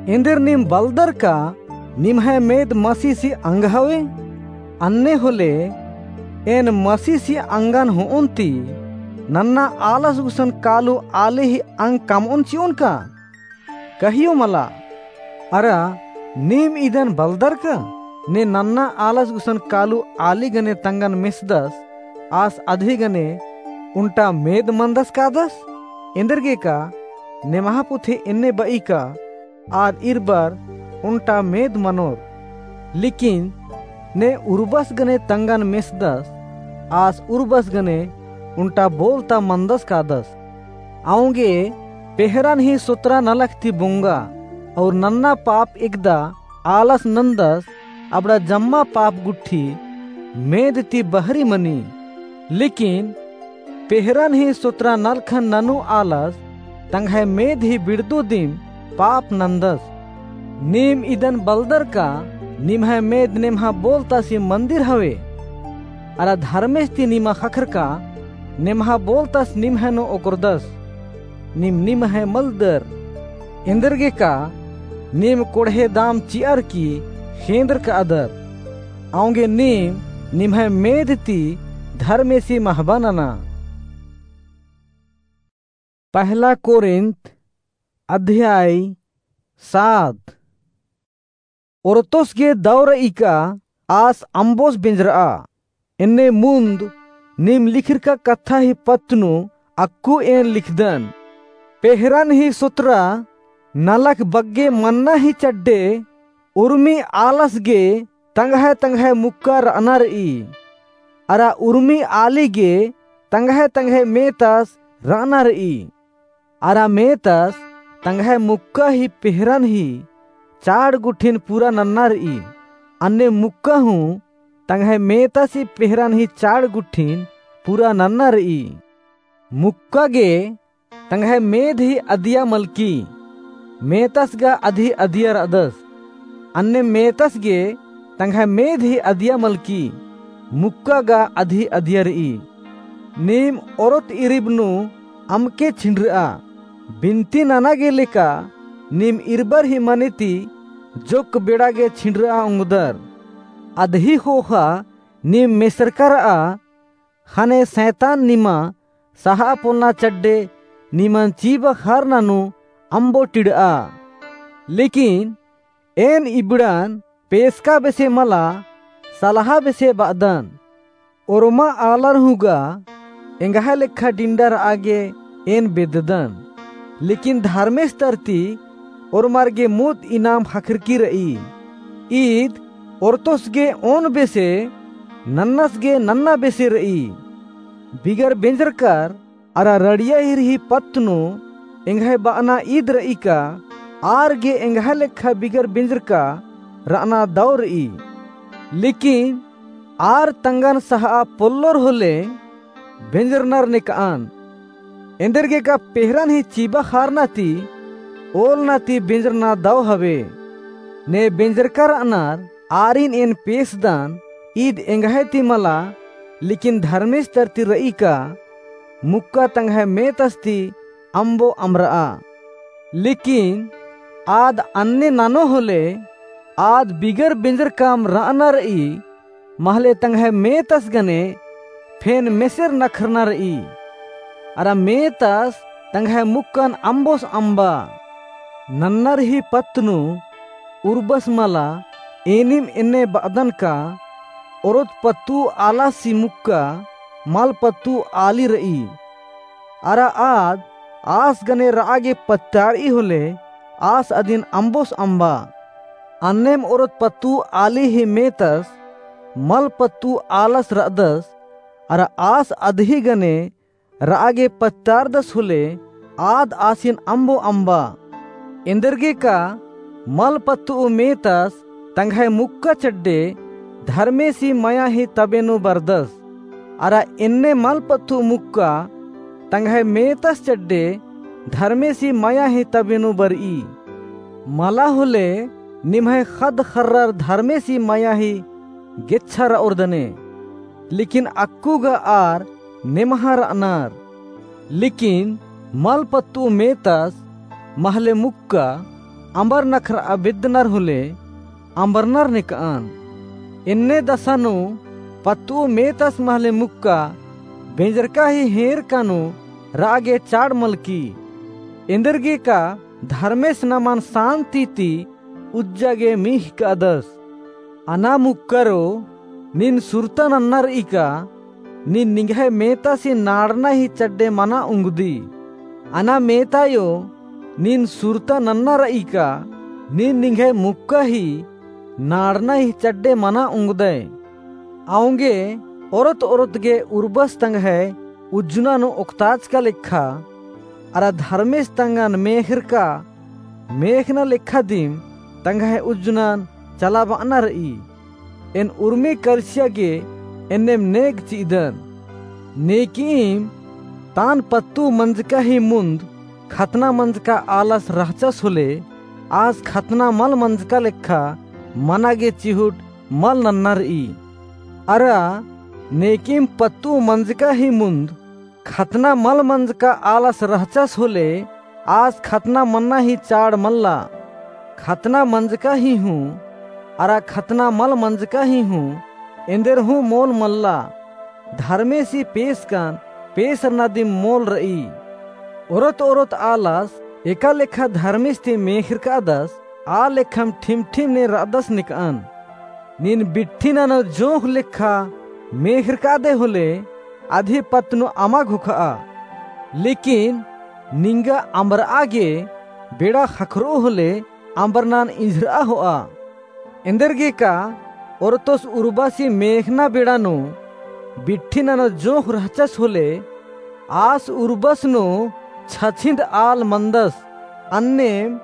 एन्देर नीम बलदर का निम्है मेद मसीसी अंग हवे? अन्ने होले एन मसीसी अंगन होओन ती नन्ना आलस गुसन कालू आली ही अंग कमओन चिओन का? कहियो मला। अरा नीम इदन बलदर का ने नन्ना आलस गुसन कालू आली गने तंगन मेसदस, आस अदी गने उन्टा मेद मंदस कादस? एन्देरगेका नेम्हा पुथी एन्ने ब'ई का, आद इरबर ओन्टा मेद मनोर। लेकिन ने उर्बस गने तंगन मेसदस, आस उर्बस गने ओन्टा बोलता मनदस कादस। औंगे पेहरन ही सोतरा नलख ती बोंगा, और नन्ना पाप एकदा आलस नन्दस, अबड़ा जम्मा पाप गुट्ठी मेद ती बहरी मनी। लेकिन पेहरन ही सोतरा नलखन ननू आलस तंग्है मेद ही बिड़दो दिम पाप नन्दस। नीम इदन बलदर का निम्है मेद नेम्हा बोलतासी मन्दिर हवे, अरा धर्मेस ती निमा ख़क्खरका नेम्हा बोलतास निम्है नू ओकरदस। नीम निम्है मलदर, एन्देरगेका नीम कोड़हे दाम चि'अर की ख़ेंदरकादर। औंगे नीम निम्है मेद ती धर्मेसी महबा नना। पहला कोरिन्थ अध्याय सात। ओरतोस गे दौ र'ई का आस अम्बोस बेंजर'आ। एन्ने मुन्द नीम लिखिरका कत्था ही पत्त नू अक्कु एन लिखदन। पेहरन ही सोतरा नलख बग्गे मन्ना ही चड्डे उर्मी आलस गे तंग्है तंग्है मुक्का र'अना र'ई। अरा उर्मी आली गे तंग्है तंग्है मेतस र'अना र'ई। अरा मेतस तंग्है मुक्का ही पेहरन ही चाड़ गुट्ठिन पूरा नन्ना र'ई। अन्ने मुक्का हूँ तंग्है मेतस ही पेहरन ही चाड़ गुट्ठिन पूरा नन्ना र'ई। मुक्का गे तंग्है मेद ही अदिया मलकी, मेतस गा अदी अदिया र'अदस। अन्ने मेतस गे तंग्है मेद ही अदिया मलकी, मुक्का गा अदी अदिया र'ई। नीम ओरोत इरिब नू अमके छिंडर'आ, बिनती नना गे लेका नीम इरबर ही मने ती जोक्क बेड़ा गे छिंडर'आ ओंगदर। अदही ख़ोख़ा नीम मेसरका र'आ, ख़ने सैतान निमा सहा पोलना चड्डे निमन चीबा ख़ारना नू अम्बो टिड़'आ। लेकिन एन इबड़न पेसका बेसे मला, सलहा बेसे ब'अदन। ओर्मा आलर हूँ गा एंग्है लेखा डिंडा र'आ गे एन बेद्ददन। लेकिन धर्मेस तरती ओर्मर गे मुद इनाम ख़क्खरकी र'ई। ईद ओरतोस गे ओन बेसे, नन्नस गे नन्ना बेसे र'ई। बिगर बेंजरकर अरा रड़िया ईर ही पत्त नू एंग्है ब'अना ईद र'ई का आर गे एंग्है लेखा बिगर बेंजरका र'अना दौ र'ई। लेकिन आर तंगन सहा पोल्लोर होले बेंजरनर नेक'अन। एन्देरगेका पेहरन ही चीबा ख़ारना ती ओलना ती बेंजरना दौ हवे। ने बेंजरका र'अनर आरिन एन पेसदन, ईद एंग्है ती मला, लेकिन धर्मेस तरती र'ई का मुक्का तंग्है मेतस ती अम्बो अम्बर'आ। लेकिन आद अन्ने ननो होले आद बिगर बेंजरकम र'अना र'ई, महले तंग्है मेतस गने फेन मेसेर नखरना र'ई। अरा मेतस तंग्है मुक्कन अम्बोस अम्बा। नन्नर ही पत्त नू उर्बस मला एनिम एन्ने ब'अदन का ओरोत पत्तु आलासी मुक्का मल पत्तु आली र'ई। अरा आद आस गने र'आ गे पत्तार'ई होले आस अदिन अम्बोस अम्बा। अन्नेम ओरोत पत्तु आली ही मेतस मल पत्तु आलस र'अदस। अरा आस अदही गने र'आ गे पत्तारदस होले आद आसिन अम्बो अम्बा। एन्देरगेका मल पत्तु मेतस तंग्है मुक्का चड्डे धर्मेसी मया ही तबे नू बरदस। अरा एन्ने मल पत्तु मुक्का तंग्है मेतस चड्डे धर्मेसी मया ही तबे नू बर'ई। मला होले निम्है ख़द्द ख़र्रर धर्मेसी मया ही गेच्छा र'ओर दने। लेकिन अक्कु गा आर नेम्हा र'अनर। लेकिन मल पत्तु मेतस महले मुक्का अम्बर नखर'आ बेद्दनर होले अम्बरनर नेक'अन। एन्ने दसा नू पत्तु मेतस महले मुक्का बेंजरका ही हेंरका नू र'आ गे चाड़ मलकी। एन्देरगेका धर्मेस नमन सान्ति ती उज्जा गे मीख़ कादस। अना मुक्करो, नीन सुरता नन्ना र'ई का नीन निंग्है मेतसी नाड़ना ही चड्डे मना उंगदी। अना मेतायो, नीन सुरता नन्ना र'ई का, नीन निंग्है मुक्का ही नाड़ना ही चड्डे मना उंगदय। औंगे ओरत ओरत गे उर्बस तंग्है उज्जना नू ओक्ताचका लेखा, अरा धर्मेस तंगन मेखरका मेखना लेखा दिम तंग्है उज्जनन चलाब'अना र'ई। एन उर्मी करसिया गे एन्नेम नेग चि'अदन। नेकिम तान पत्तु मंजका ही मुन्द खतना मंजका आलस रहचस होले, आस खतना मल मंजका लेखा मना गे चिहुट मल नन्ना र'ई। अरा नेकिम पत्तु मंजका ही मुन्द खतना मल मंजका आलस रहचस होले, आस खतना मन्ना ही चाड़ मल्ला। खतना मंजका ही हूँ, अरा खतना मल मंजका ही हूँ, एन्देर हूँ मोल मल्ला। धर्मेसी पेसकन पेसरना दिम मोल र'ई। ओरत ओरत आलस एका लेखा धर्मेस ती मेखरकादस, आ लेखम ठिम ठिम ने र'अदस नेक'अन। नीन बिट्ठी ननो जोंख़ लेखा मेखरकादय होले, अदी पत्त नू अमा घोख'आ। लेकिन निंगा अम्बर'आ गे बेड़ा ख़क्खर'ओ होले, अम्बरनन इंझर'आ हो'आ। एन्देरगे का ओरतोस उर्बासी मेखना बेड़ा नू बिट्ठी ननो जोंख़ रहचस होले, आस उर्बस नू छछिन्द आल मन्दस। अन्नेम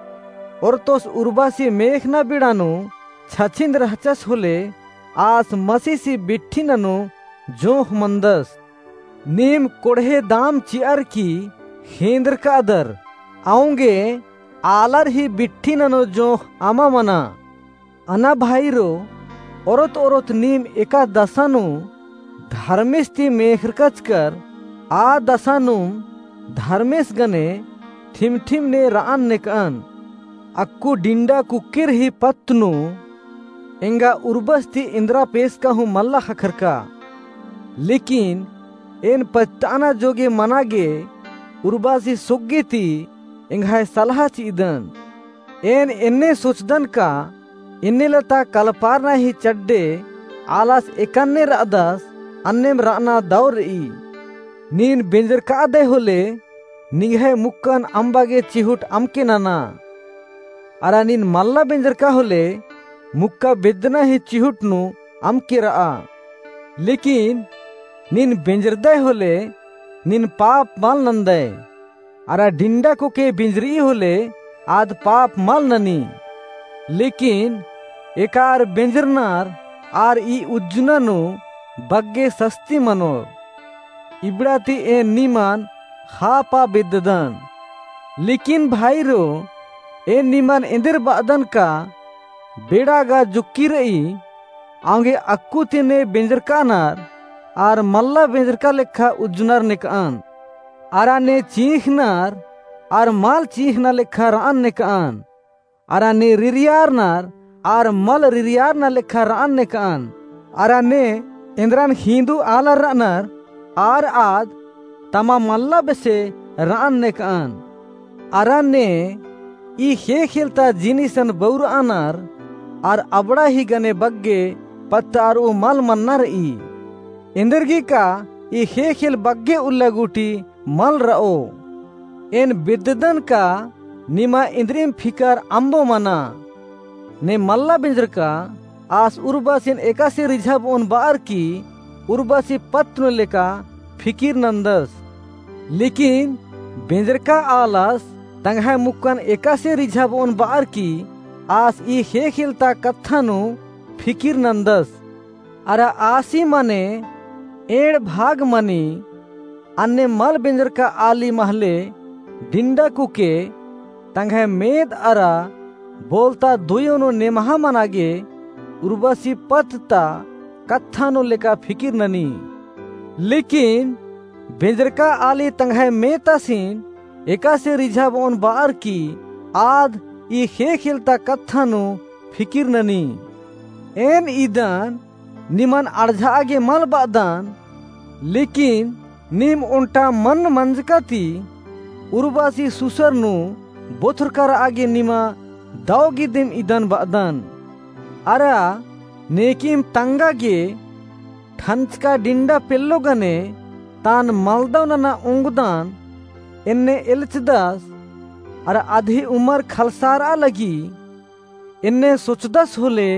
ओरतोस उर्बासी मेखना बेड़ा नू छछिन्द रहचस होले, आस मसीसी बिट्ठी ननो जोंख़ मन्दस। नीम कोड़हे दाम चि'अर की ख़ेंदरकादर, औंगे आलर ही बिट्ठी ननो जोंख़ अमा मना। अना भाईरो, ओरत ओरत नीम एका दसा नू धर्मेस ती मेखरकचकर, आ दसा नूम धर्मेस गने ठिम ठिम ने र'अन नेक'अन। अक्कु डिंडा कुक्केर ही पत्त नू एंगा उर्बस ती एन्द्रा पेसका हूँ मल्ला ख़क्खरका। लेकिन एन पछताना जोगे मना गे उर्बासी सोग्गे ती एंग्है सलहा चि'अदन। एन एन्ने सोचदन का एन्ने लता कलपारना ही चड्डे आलस एकन्ने र'अदस, अन्नेम र'अना दौ र'ई। नीन बेंजरकादय होले, निंग्है मुक्कन अम्बा गे चिहुट अमके नना। अरा नीन मल्ला बेंजरका होले, मुक्का बेद्दना ही चिहुट नू अमके र'आ। लेकिन नीन बेंजरदय होले, नीन पाप मल नन्दय। अरा डिंडा कुक्के बेंजर'ई होले, आद पाप मल ननी। लेकिन एका आर बेंजरनर आर ई उज्जना नू बग्गे सस्ती मनोर। इबड़ा ती एन निमन ख़ापा बेद्ददन। लेकिन भाईरो, एन निमन एन्देर ब'अदन का बेड़ा गा जुक्की र'ई, औंगे अक्कु ती ने बेंजरकानर आर मल्ला बेंजरका लेखा उज्जनर नेक'अन। अरा ने चींख़नर आर मल चींख़ना लेखा र'अन नेक'अन। अरा ने रिरियारनर आर मल रिरियारना लेखा र'अन नेक'अन। अरा ने एन्द्रन ख़ींदू आलर र'अनर आर आद तमा मल्ला बेसे र'अन नेक'अन। अरा ने ई ख़ेख़ेल ता जिनिसन बउर'अनर आर अबड़ा ही गने बग्गे पत्त अर'ऊ मल मन्ना र'ई। एन्देरगे का ई ख़ेख़ेल बग्गे उल्ला गूटी मल र'ओ। एन बेद्ददन का निमा एन्द्रिम फिकर अम्बो मना। ने मल्ला बेंजरका आस उर्बासिन एकासे रिझाब'ओन ब'अर की उर्बासी पत्त नू लेका फिकिर नन्दस। लेकिन बेंजरका आलस तंग्है मुक्कन एकासे रिझाब'ओन ब'अर की आस ई ख़ेख़ेल ता कत्था नू फिकिर नन्दस। अरा आसी मने एंड़ भाग मनी। अन्ने मल बेंजरका आली महले डिंडा कुक्के तंग्है मेद अरा बोलता दुयो नू नेमहा मना गे उर्बासी पत्त ता कत्था नू लेका फिकिर ननी। लेकिन बेंजरका आली तंग्है मेतासिन एकासे रिझाब'ओन ब'अर की आद ई ख़ेख़ेल ता कत्था नू फिकिर ननी। एन इदन निमन अड़झा'आ गे मल ब'अदन, लेकिन नीम ओन्टा मन मंजका ती उर्बासी सुसर नू बोथरका र'आ गे निमा दौ गे दिम इदन ब'अदन। अरा नेकिम तंगा गे ठंचका डिंडा पेल्लो गने तान मलदौ नना ओंगदन। एन्ने एल्चदस, अरा अदही उमर खलसारआ लगी। एन्ने सोचदस होले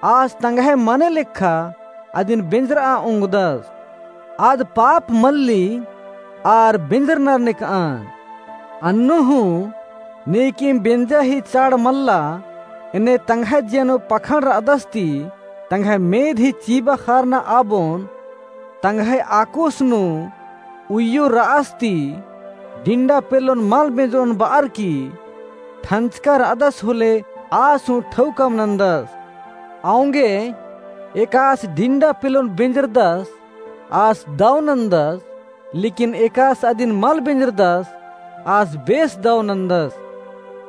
आस तंग्है मने लेखा अदिन बेंजरआ ओंगदस। आद पाप मल्ली आर बेंजरनर नेकअन। अन्नु हूँ नेकिम बेंजा ही चाड़ मल्ला, एन्ने तंग्है जिया नू पखंड रअदस ती तंग्है मेद ही चीबा खारना आबोन, तंग्है आकोस नू उइयो रअस ती डिंडा पेल्लोन मल बेंजरोन बअर की ठंचका रअदस होले आस हूँ ठौकम नंदस। औंगे एकास डिंडा पेल्लोन बेंजरदस आस दव नंदस, लेकिन एकास अदिन मल बेंजरदस आस बेस दव नंदस।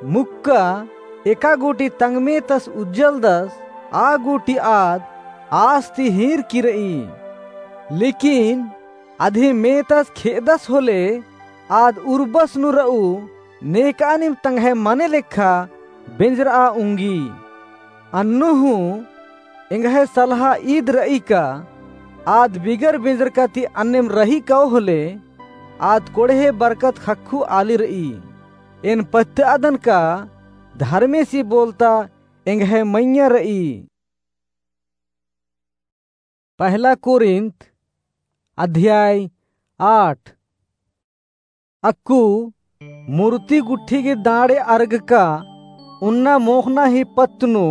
मुक्का एका गूटी तंग मेतस उज्जलदस, आ गूटी आद आस ती हीर की रई। लेकिन अदही मेतस खेअदस होले आद उर्बस नू रऊ नेकअनिम तंग्है मने लेखा बेंजरआ उंगी। अन्नु हूँ एंग्है सलहा ईद रई का आद बिगर बेंजरका ती अन्नेम रही कओ होले आद कोड़हे बरकत ख़क्खु आली रई। एन पत्तअदन का धर्मेसी बोलता एंग्है मइय्याँ रई। पहला कोरिन्थ अध्याय आठ। अक्कु मूर्ति गुट्ठी गे दाँड़े अर्गका उन्ना मोख़ना ही पत्त नू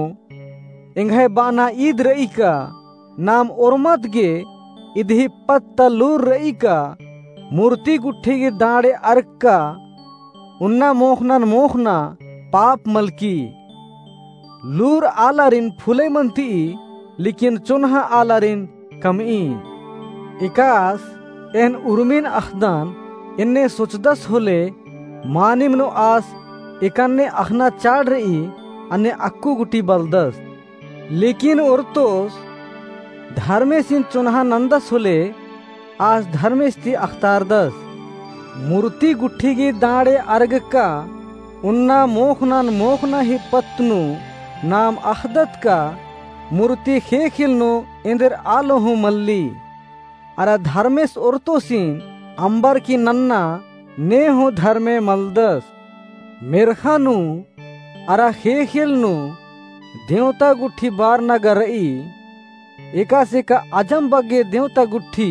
एंग्है बाना ईद रई का नाम ओर्मत गे इदही पत्त ता लूर रई का मूर्ति गुट्ठी गे दाँड़े अर्गका उन्ना मोख़नन मोख़ना पाप मलकी। लूर आलारिन फुलई मनती, लेकिन चोन्हा आलारिन कमई। एकास एन उर्मिन अख़दन एन्ने सोचदस होले, मानिम नू आस एकन्ने अख़ना चाड़ रई, अन्ने अक्कु गुट्ठी बलदस। लेकिन ओर्तोस धर्मेसिन चोन्हा नन्दस होले, आस धर्मेस ती अख़तारदस। मूर्ति गुट्ठी गे दाँड़े अर्गका उन्ना मोख़नन मोख़ना ही पत्त नू नाम अख़दत का मूर्ति ख़ेख़ेल नू एन्देर आलो हूँ मल्ली। अरा धर्मेस ओर्तोसिन अम्बर की नन्ना ने हूँ धर्मे मलदस। मेर्ख़ा नू अरा ख़ेख़ेल नू देवता गुट्ठी बारना गा रई। एकासे का अजम बग्गे देवता गुट्ठी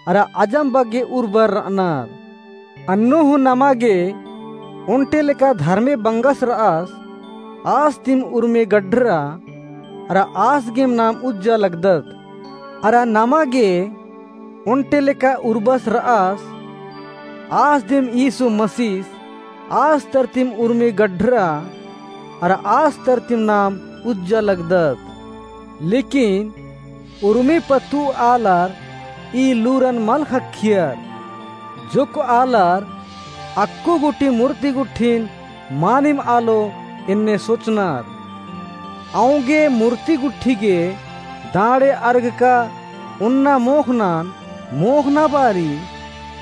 अरा अजम बग्गे उर्बर रअनर। अन्नु हूँ नमा गे ओन्टे लेका धर्मे बंगस रअस, आस दिम उर्मी गड्डरा अरा आस गेम नाम उज्जा लगदत। अरा नमा गे ओन्टे लेका उर्बस रअस, आस दिम यीशु मसीस आस तरतिम उर्मी गड्डरा अरा आस तरतिम नाम उज्जा लगदत। लेकिन उर्मी पत्तु आलर ई लूरन मल ख़क्खियर। जोक्क आलर अक्कु गुट्ठी मूर्ति गुट्ठिन मानिम आलो एन्ने सोचनर। औंगे मूर्ति गुट्ठी गे दाँड़े अर्गका उन्ना मोख़नन मोख़ना बारी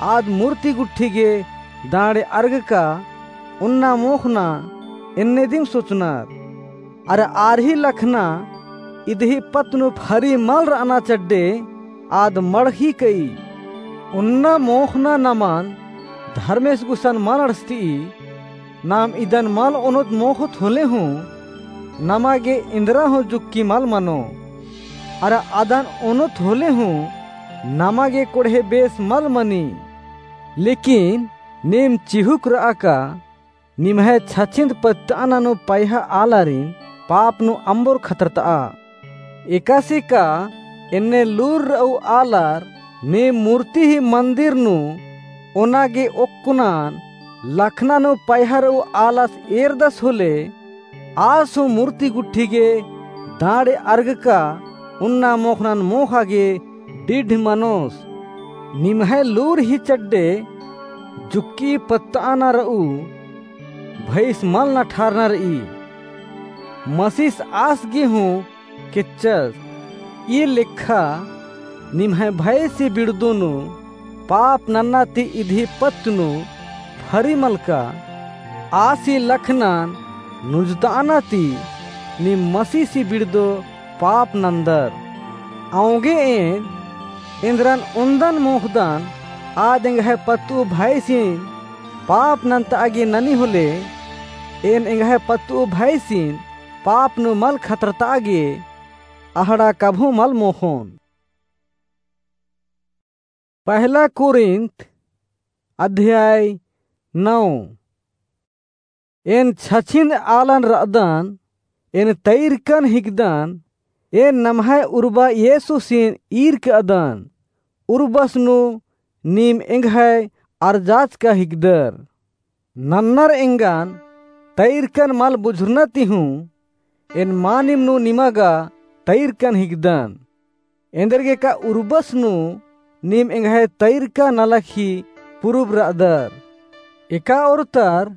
आद मूर्ति गुट्ठी गे दाँड़े अर्गका उन्ना मोख़ना एन्ने दिम सोचनर। अरा आर ही लखना इदही पत्त नू फरी मल रअना चड्डे आद मड़ख़ी कई। उन्ना मोख़ना नमन धर्मेस गुसन मल अंड़सती। नाम इदन मल ओनोत मोख़ोत होले हूँ नमा गे इन्द्रा हूँ जुक्की मल मनो। अरा अदन ओनोत होले हूँ नमा गे कोड़हे बेस मल मनी। लेकिन नीम चिहुक रआ का निम्है छछिन्द पत्तअना नू पैहा आलारिन पाप नू अम्बोर खतरतआ। एकासे का एन्ने लूर रऊ आलर नीम मूर्ति ही मन्दिर नू ओना गे ओक्कनन लखना नू पैहा रऊ आलस एरदस होले, आस हूँ मूर्ति गुट्ठी गे दाँड़े अर्गका उन्ना मोख़नन मोख़ा गे डिढ मनोस। निम्है लूर ही चड्डे जुक्की पत्तअना रऊ भैस मल नठारना रई। मसीस आस गे हूँ केच्चस। ई लेखा निम्है भैसी बिड़दो नू पाप नन्ना ती इदही पत्त नू फरी मलका। आसी लखनन नुजतअना ती नीम मसीसी बिड़दो पाप नन्दर। औंगे एन एन्द्रन ओन्दन मोख़दन, आद एंग्है पत्तु भैसिन पाप नन्तआ गे ननी होले, एन एंग्है पत्तुउ भइसिन पाप नू मल खतरतआ गे अहड़ा कभों मल मोख़ोन। पहला कुरिन्थ अध्याय नौ। एन छछिंद आलन रअदन, एन तइरकन हिकदन, एन नम्है उर्बा येसुसिन ईरकदन, उर्बस नू नीम एंग्है अरजाचका हिकदर। नन्नर एंगन तइरकन मल बुझुरना ती हूँ, एन मानिम नू निमा गा तइरकन हिकदन। एन्देरगेका उर्बस नू नीम एंग्है तइरका नलख ही पुरुब रअदर। एका ओर्तर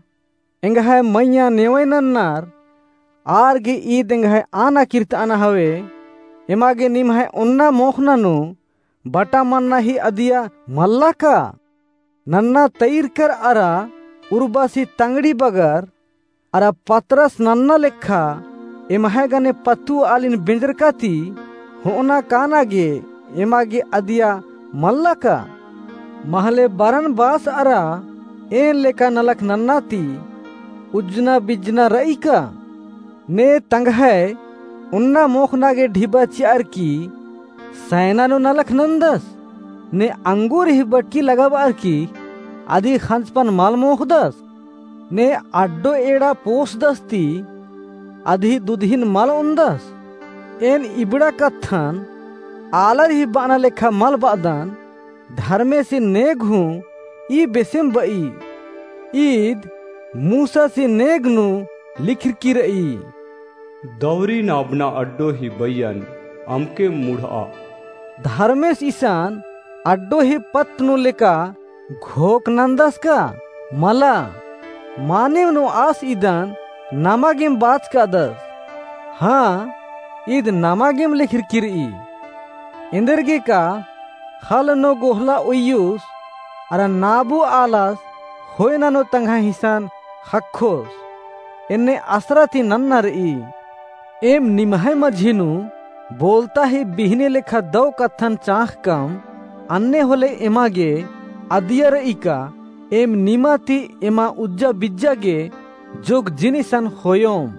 एंग्है मइय्याँ नेवय नन्नर, आर गे ईद एंग्है आना किर्तआना हवे, एमा गे निम्है ओन्ना मोख़ना नू बटा मन्ना ही अदिया मल्ला का? नन्ना तइरकर अरा उर्बस ही तंगड़ी बगर, अरा पतरस नन्ना लेखा एम्है गने पत्तुआलिन बेंजरका ती होअना काना गे एमा गे अदिया मल्ला का? महले बरनबास अरा एन लेखा नलख नन्ना ती उज्जना बिज्जना रई का? ने तंग्है ओन्ना मोख़ना गे ढिबा चिअर की सैना नू नलख नन्दस, ने अंगूर ही बटकी लगाबअर की अदी खंजपन मल मोख़दस, ने अड्डो एड़ा पोसदस ती अदी दुदहिन मल ओन्दस। एन इबड़ा कत्थन आलर ही बअना लेखा मल बअदन, धर्मेसिन नेग हूँ ई बेसेम बई। ईद मूसासिन नेग नू लिखरकी रई, दौरी नाबना अड्डो ही बइयन अमके मुढ़आ। धर्मेस इसन अड्डो ही पत्त नू लेका घोख नन्दस का? मला। मानिम नू आस इदन नमा गेम बाचकादस। हाँ, ईद नमा गेम लिखरकी रई। एन्देरगेका ख़ल्ल नू गोहला उइयुस, अरा नाबू आलस ख़ोय ननोत तंग्है हिसन ख़क्खोस। एन्ने असरा ती नन्ना रई। एम निम्है मझी नू बोलता ही बिहने लेखा दौ कत्थन चाँख़कम, अन्ने होले एमा गे अदिया रई का, एम निमा ती एमा उज्जा बिज्जा गे जोक जिनिसन ख़ोयोम।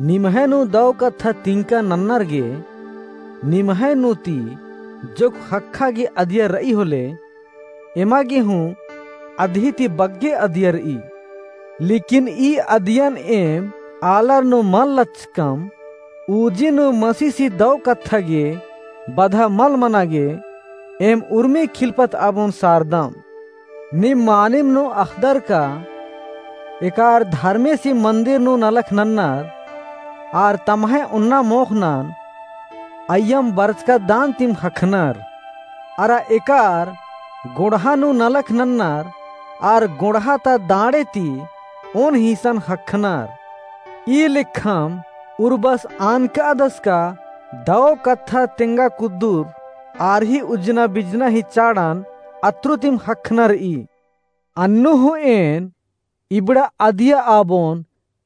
निम्है नू दौ कत्था तिंका नन्नर गे, निम्है नू ती जोक ख़क्खा गे अदिया रई होले, एमा गे हूँ अदही ती बग्गे अदिया रई। लेकिन ई अदियन एम आलर नू मल लच्चकम, उजी नू मसीसी दौ कत्था गे बधा मल मना गे, एम उर्मी खिलपत आबोन सारदम। नीम मानिम नू अख़दर का, एकार धर्मेसी मंदिर नू नलख नन्नर, आर तम्है ओन्ना मोख़नन अइय्यम बरचका दान तिम ख़क्खनर। अरा एकार गोंड़हा नू नलख नन्नर, आर गोंड़हा ता दांड़े ती ओन हिसन ख़क्खनर। ई लेखम उर्बस आनकादस का दौ कत्था तेंगा कुद्दुर आर ही उज्जना बिज्जना ही चाड़न अत्रु तिम ख़क्खना रई। अन्नु हूँ एन इबड़ा अदिया आबोन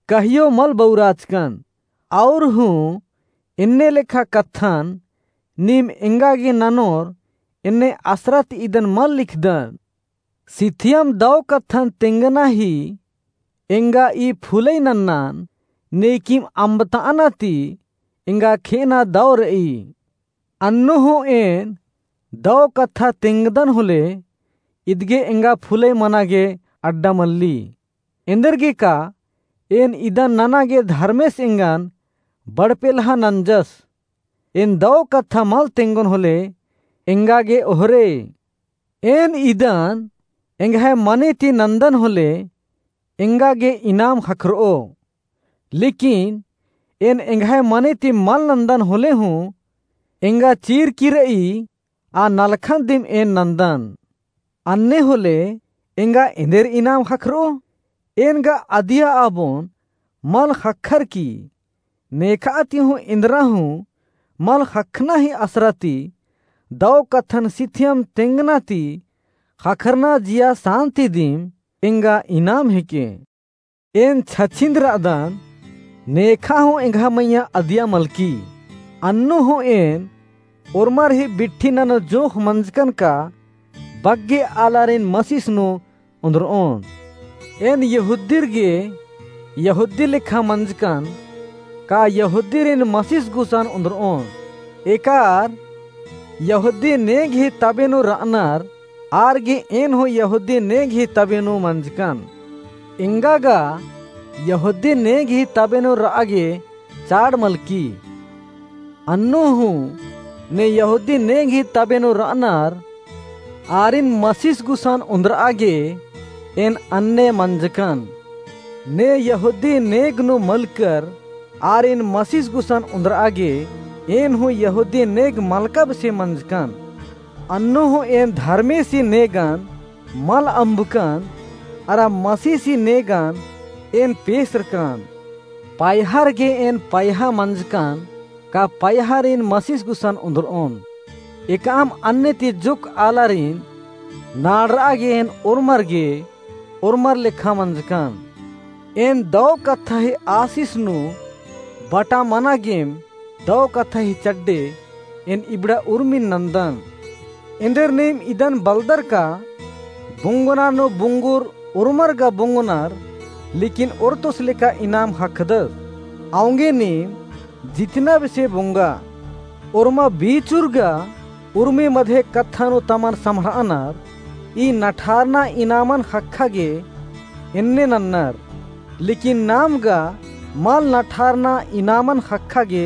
कहियो मल बउराचकन। और हूँ एन्ने लेखा कत्थन नीम एंगा गे ननोर एन्ने असरा ती इदन मल लिखदन। सिथियम दौ कत्थन तेंगना ही एंगा ई फुलई नन्नन, नेकिम अम्बतअना ती एंगा खेअना दौ रई। अन्नु हूँ एन दौ कत्था तेंगदन होले, इदगे एंगा फुलई मना गे अड्डा मल्ली। एन्देरगेका एन इदन नना गे धर्मेस एंगन बड़पेलहा नंजस। एन दौ कत्था मल तेंगोन होले, एंगा गे ओहरे। एन इदन एंग्है मने ती नन्दन होले, एंगा गे इनाम ख़क्खरओ। लेकिन एन एंग्है मने ती मल नन्दन होले हूँ, एंगा चीरकी रई आ नलखन दिम एन नन्दन। अन्ने होले एंगा एन्देर इनाम ख़क्खरओ? एन गा अदिया आबोन मल ख़क्खरकी। नेखा ती हूँ एन्दरा हूँ मल ख़क्खना ही असरा ती दौ कत्थन सिथियम तेंगना ती ख़क्खरना जिया सान्ति दिम एंगा इनाम हेके। एन छछिंद रअदन, नेखा हूँ एंग्है मइय्याँ अदिया मलकी। अन्नु हूँ एन ओर्मर ही बिट्ठी ननो जोंख़ मंजकन का बग्गे आलारिन मसिस नू ओन्द्रओन। एन यहूदीर गे यहूदी लेखा मंजकन, का यहूदीरिन मसीस गुसन उन्दरओन? एकार यहूदी नेग ही तबे नू रअनर, आर गे एन हूँ यहूदी नेग ही तबे नू मंजकन। एंगा गा यहूदी नेग ही तबे नू रआ गे चाड़ मलकी। अन्नु हूँ ने यहूदी नेग ही तबे नू रअनर, आरिन मसीस गुसन उन्दरआ गे एन अन्ने मंजकन। ने यहूदी नेग नू मलकर आरिन मसीस गुसन उन्दरआ गे एन हूँ यहूदी नेग मलका बेसे मंजकन। अन्नु हूँ एन धर्मेसी नेगन मल अम्बकन, अरा मसीसी नेगन एन पेसरकन। पयहर गे एन पयहा मंजकन, का पयहरिन मसीस गुसन उन्दरओन। एकअम अन्ने ती जुक आलारिन नाड़रआ गे एन ओर्मर गे ओर्मर लेखा मंजकन। एन दौ कत्था ही आसिस नू बटा मना गेम दौ कत्था ही चड्डे एन इबड़ा उर्मिन नन्दन। एन्देर नीम इदन बलदर का बुंगना नू बुंगुर उर्मर गा बुंगनर, लेकिन ओर्तोस लेखा इनाम ख़क्खदस। औंगे नीम जितना बेसे बुंगा, ओर्मा बीचुर गा उर्मी मधे कत्था नू तमन सम्हरअनर, ई नठारना इनामन ख़क्खा गे एन्ने नन्नर, लेकिन नाम गा मल नठारना इनामन ख़क्खा गे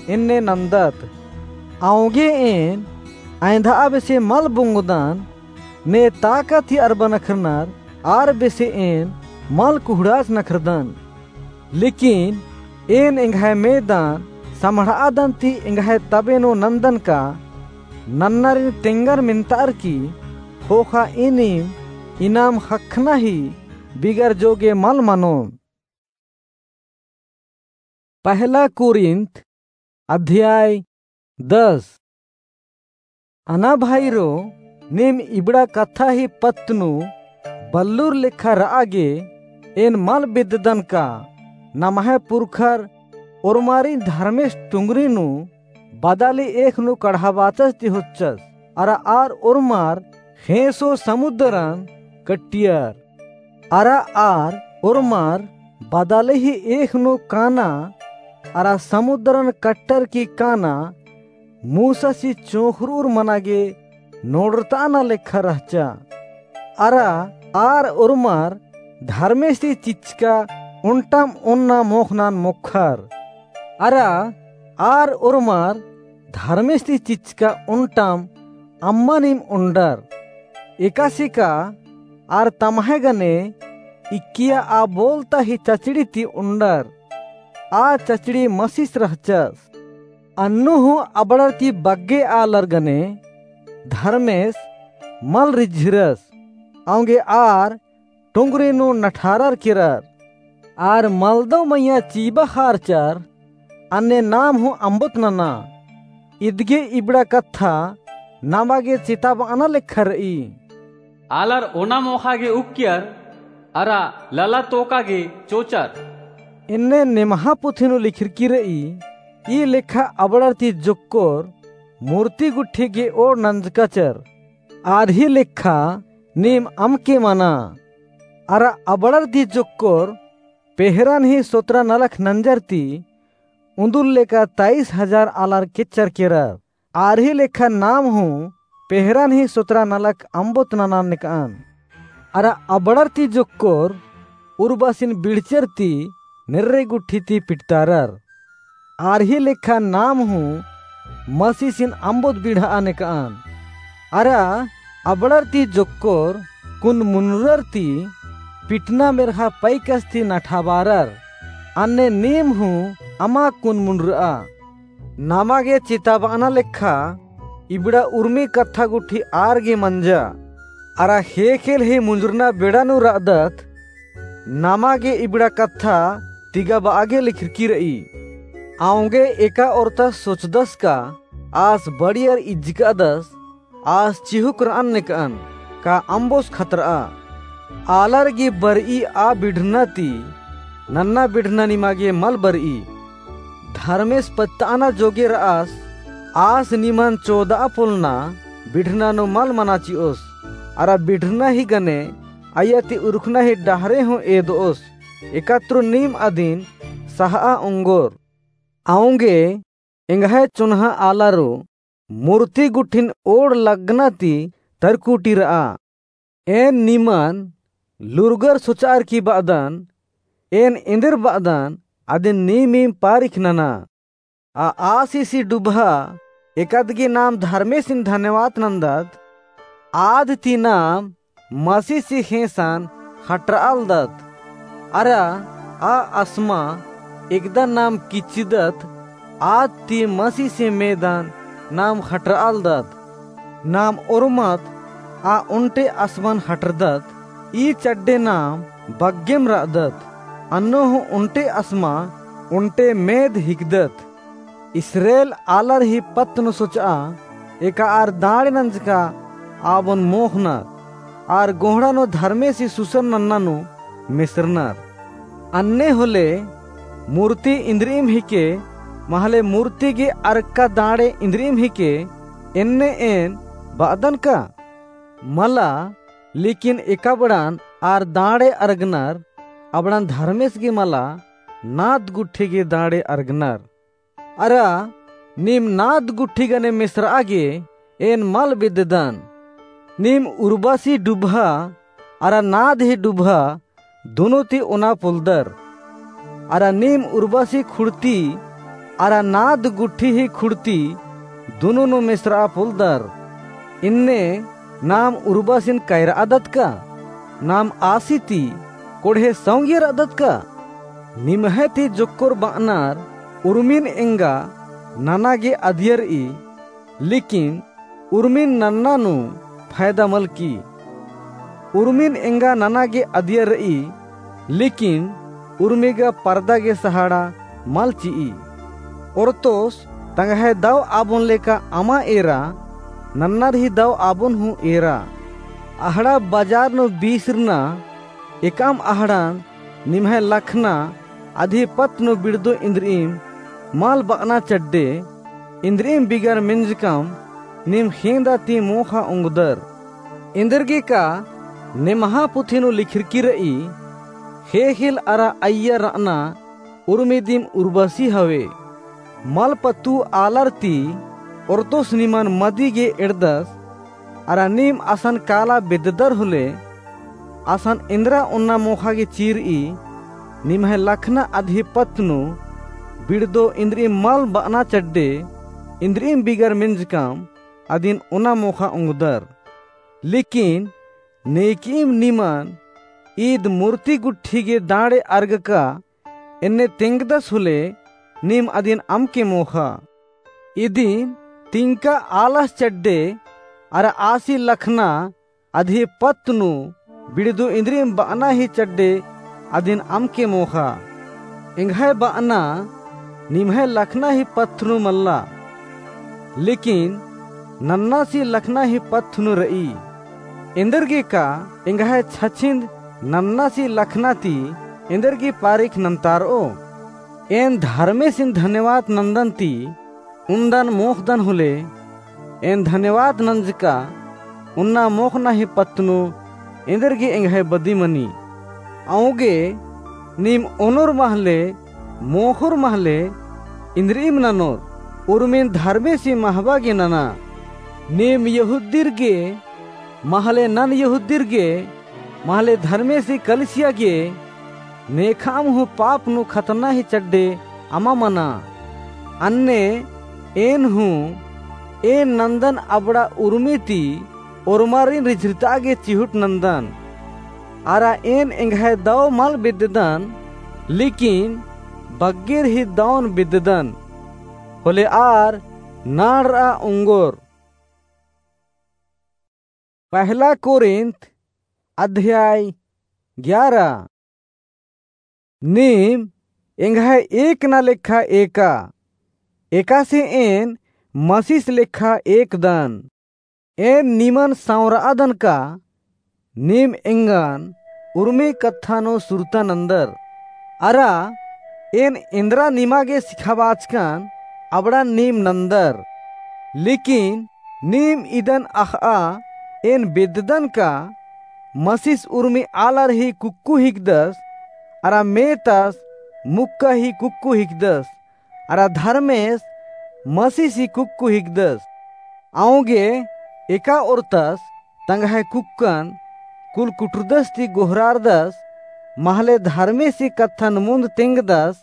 एन्ने नन्दत। औंगे एन अँवधआ बेसे मल बुंगदन, ने ताकत ही अरबा नखरनर, आर बेसे एन मल कुहड़ाच नखरदन। लेकिन एन एंग्है मेदन सम्हरआदन ती एंग्है तबे नू नन्दन का नन्नरिन तेंगर मेन्तार की ख़ोख़ा इनिम इनाम ख़क्खना ही बिगर जोगे मल मनोन। पहला कुरिन्थ अध्याय दस। अना भाईरो, नीम इबड़ा कत्था ही पत्त नू बल्लुर लेखा रआ गे एन मल बेद्ददन का नम्है पुरखर ओर्मारिन धर्मेस टुंगरी नू बदाली एख़ नू कढ़ाबाचस ती होच्चस, अरा आर ओर्मर ख़ेंसो समुद्रन कट्टियर। अरा आर ओर्मर बदाली ही एख़ नू काना, अरा समुद्रन कट्टर की काना, मूसासी चोंख़रूर मना गे नोड़रताना लेखा रहचा। अरा आर ओर्मर धर्मेस ती चिच्चका ओन्टम ओन्ना मोख़नन मोख़र। अरा आर ओर्मर धर्मेस ती चिच्चका ओन्टम अम्मनिम ओन्डर। एकासे का आर तम्है गने इक्किया आ बोलता ही चचड़ी ती ओन्डर। आ चचड़ी मसीस रहचस। अन्नु हूँ अबड़र ती बग्गे आलर गने धर्मेस मल रिझिरस। औंगे आर टुंगरी नू नठारर केरर। आर मलदव मइय्याँ चीबा ख़ारचर, अन्ने नाम हूँ अम्बोत नना। इदगे इबड़ा कत्था नमा गे चिताबअना लेखा रई। आलर ओना मोख़ा गे उक्कियर, अरा लला तोका गे चोचर। एन्ने निम्हा पुथी नू लिखरकी रई, ई लेखा अबड़र ती जोक्कोर मूर्ति गुट्ठी गे ओड़ नंजकाचर। आर ही लेखा नीम अमके मना। अरा अबड़र ती जोक्कोर पेहरन ही सोतरा नलख नंजर ती उन्दुल लेका तईस हजार आलर केच्चर केरर। आर ही लेखा नाम हूँ पेहरन ही सोतरा नलख अम्बोत नना नेकअन। अरा अबड़र ती जोक्कोर उर्बासिन बिड़चर ती नेर्रे गुट्ठी ती पिटतारर। आर ही लेखा नाम हूँ मसीसिन अम्बोत बिड़हा नेकअन। अरा अबड़र ती जोक्कोर कुन मुनरर ती पिटना मेर्हा पैकस ती नठाबारर। अन्ने नीम हूँ अमा कुन मुनरआ। नमा गे चिताबअना लेखा इबड़ा उर्मी कत्था गुट्ठी आर गे मंजा। अरा ख़ेख़ेल ही मुंजुरना बेड़ा नू रअदत, नमा गे इबड़ा कत्था तिगाबआ गे लिखरकी रई। औंगे एका ओर्ता सोचदस का आस बड़ियर इज्जकादस, आस चिहुक रअन नेकअन का अम्बोस खतरआ। आलर गे बरई आ बिढ़ना ती नन्ना बिढ़ना निमा गे मल बरई। धर्मेस पत्तअना जोगे रअस, आस निमन चोदआ पोल्लना बिढ़ना नू मल मना चिओस। अरा बिढ़ना ही गने अइय्या ती उरखना ही डहरे हूँ एदोस, एकातरो नीम अदिन सहआ ओंगोर। औंगे एंग्है चुन्हा आलारो मूर्ति गुट्ठिन ओड़ लग्गना ती तरकुटी र'आ। एन निमन लूरगर सोच'अर की ब'अदन, एन एन्देर ब'अदन अदिन नीमिम पारिख नना। आ आसिसी डुबहा एकदगी नाम धर्मेसिन धन्यवाद नन्दत, आद ती नाम मसीसी ख़ेंसन ख़टर'आलदत। अरा आ असमा एकदा नाम किच्चिदत, आद ती मसीसी मेदन नाम ख़टर'आलदत। नाम ओर्मत आ ओन्टे असमन ख़टरदत, ई चड्डे नाम बग्गेम र'अदत। अन्नु हूँ ओन्टे असमा ओन्टे मेद हिकदत। इस्रेल आलर ही पत्त नू सोच'आ, एका आर दाँड़े नंजका आबोन मोख़नर, आर गोहड़ा नू धर्मेसी सुसन नन्ना नू मेसरनर। अन्ने होले मूर्ति इन्द्रिइम हिके, महले मूर्ति गे अरक्का दाँड़े इन्द्रिइम हिके, एन्ने एन ब'अदन का? मला, लेकिन एकबड़न आर दाँड़े अरगनर, अबड़न धर्मेस गे मला, नाद गुट्ठी गे दाँड़े अरगनर। अरा नीम नाद गुट्ठी गने मेसर'आ गे एन मल बेद्ददन। नीम उर्बसी डुबहा अरा नाद ही डुबहा दुनो ती ओना पोलदर। अरा नीम उर्बसी खुड़ती अरा नाद गुट्ठी ही खुड़ती दुनो नू मेसर'आ पोलदर। इन्ने नाम उर्बसिन कैर'अदत का? नाम आसी ती कोड़हे सौंगियर र'अदत का? निम्है ती जोक्कोर ब'अनर उर्मिन एंगा नना गे अदियर र'ई, लेकिन उर्मिन नन्ना नू फैदा मल की। उर्मिन एंगा नना गे अदियर र'ई, लेकिन उर्मी गा परदा गे सहाड़ा मल चि'ई। ओर्तोस तंग्है दव आबोन लेका अमा एरा, नन्नर ही दव आबोन हूँ एरा। अहड़ा बजार नू बीसरना एकअम अहड़न निम्है लखना अदी पत्त नू बिड़दो इन्द्रिइम मल ब'अना चड्डे, इन्द्रिइम बिगर मेंजकम नीम ख़ेंदा ती मोख़ा ओंगदर। एन्देरगे का नेम्हा पुथी नू लिखरकी र'ई, ख़ेख़ेल अरा अइय्या र'अना उर्मी दिम उर्बसी हवे। मल पत्तु आलर ती ओर्तोस निमन मदी गे एड़दस, अरा नीम असन काला बेद्ददर होले, असन एन्द्रा ओन्ना मोख़ा गे चि'ई, निम्है लखना अदी पत्त नू बिड़दो इन्द्रिइम मल ब'अना चड्डे, इन्द्रिइम बिगर मेंजकम अदिन ओना मोख़ा ओंगदर। लेकिन नेकिइम निमन ईद मूर्ति गुट्ठी गे दाँड़े अरगका एन्ने तेंगदस होले, नीम अदिन अमके मोख़ा। इदिन तिंका आलस चड्डे अरा आसी लखना अदी पत्त नू बिड़दो इन्द्रिइम ब'अना ही चड्डे अदिन अमके मोख़ा। एंग्है ब'अना निम्है लखना ही पत्त नू मल्ला, लेकिन नन्नासी लखना ही पत्त नू र'ई। एन्देरगे का एंग्है छछिन्द नन्नासी लखना ती एन्देरगे पारिख नन्तार'ओ? एन धर्मेसिन धन्यवाद नन्दन ती उन्दन मोख़दन होले, एन धन्यवाद नंजका उन्ना मोख़ना ही पत्त नू एन्देरगे एंग्है बदी मनी। औंगे नीम ओनोर महले, मोख़ोर महले, इन्द्रिइम ननोर, उर्मिन धर्मेसी महबा गे नना। नीम यहूदीर गे महले नन यहूदीर गे, महले धर्मेसी कलिसिया गे, नेखाम हूँ पाप नू खतना ही चड्डे अमा मना। अन्ने एन हूँ, एन नन्दन अबड़ा उर्मी ती ओर्मारिन रिझरिता गे चिहुट नन्दन। अरा एन एंग्है दव मल बेद्ददन, लेकिन बग्गेर ही दौन बेद्ददन। होले आर नाड़र'आ ओंगोर। पहला कोरिन्थ अध्याय ग्यारह। नीम एंग्है एकना लेखा एका, एकासे एन मसीस लेखा एकदन। एन निमन सँवरादन का नीम एंगन उर्मी कत्था नू सुरता नन्दर। अरा एन एन्दरा निमा गे सिखाबाचकन अबड़न नीम नन्दर। लेकिन नीम इदन अख़'आ एन बेद्ददन का मसीस उर्मी आलर ही कुक्कु हिकदस, अरा मेतस मुक्का ही कुक्कु हिकदस, अरा धर्मेस मसीस ही कुक्कु हिकदस। औंगे एका ओर्तस तंग्है कुक्कन कुलकुटुरदस ती गोहरारदस, महले धर्मेस ही कत्थन मुन्द तेंगदस,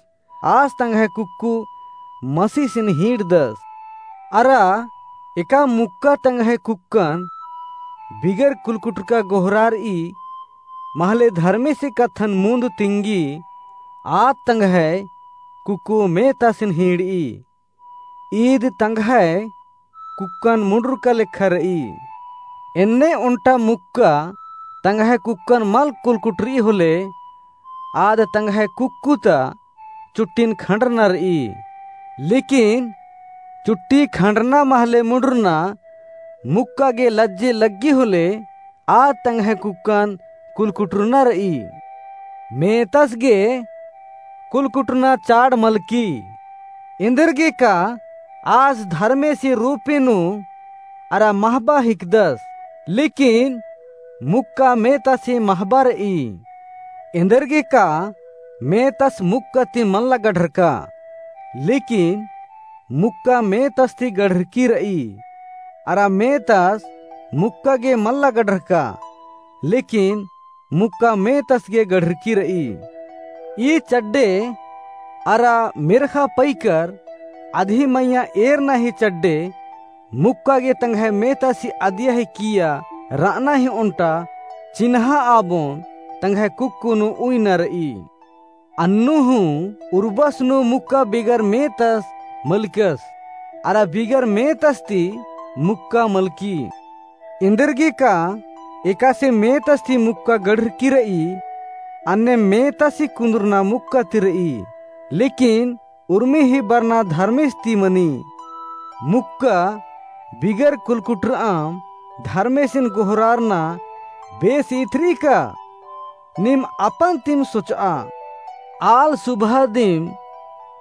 आस तंग्है कुक्कु मसीसिन हींड़दस। अरा एका मुक्का तंग्है कुक्कन बिगर कुलकुटुरका गोहरारई, महले धर्मेस ही कत्थन मुन्द तिंगी, आद तंग्है कुक्कु मेतसिन हींड़ई। ईद तंग्है कुक्कन मुंडुरका लेखा रई। एन्ने ओन्टा मुक्का तंग्है कुक्कन मल कुलकुटुरई होले, आद तंग्है कुक्कु ता चुट्टिन खंडरना रई। लेकिन चुट्टी खंडरना महले मुंडुरना मुक्का गे लज्जे लग्गी होले, आद तंग्है कुक्कन कुलकुटुरना रई। मेतस गे कुलकुटुरना चाड़ मलकी। एन्देरगेका आस धर्मेस ही रूपे नू अरा महबा हिकदस, लेकिन मुक्का मेतस ही महबा रई। एन्देरगेका मेतस मुक्का ती मल्ला गढ़रका, लेकिन मुक्का मेतस ती गढ़रकी रई। अरा मेतस मुक्का गे मल्ला गढ़रका, लेकिन मुक्का मेतस गे गढ़रकी रई। ई चड्डे अरा मेर्खा पइकर अदही मइय्याँ एरना ही चड्डे मुक्का गे तंग्है मेतस ही अदिया ही किइय्या रअना ही ओन्टा चिन्हा आबोन तंग्है कुक्कु नू उइना रई। अन्नु हूँ उर्बस नू मुक्का बिगर मेतस मलकस, अरा बिगर मेतस ती मुक्का मलकी। एन्देरगेका एकासे मेतस ती मुक्का गढ़रकी रई, अन्ने मेतस ही कुन्दुरना मुक्का ती रई, लेकिन उर्मी ही बरना धर्मेस ती मनी। मुक्का बिगर कुलकुटुरअम धर्मेसिन गोहरारना बेस इथरी का? नीम अपन तिम सोचआ। आल सुबह दिम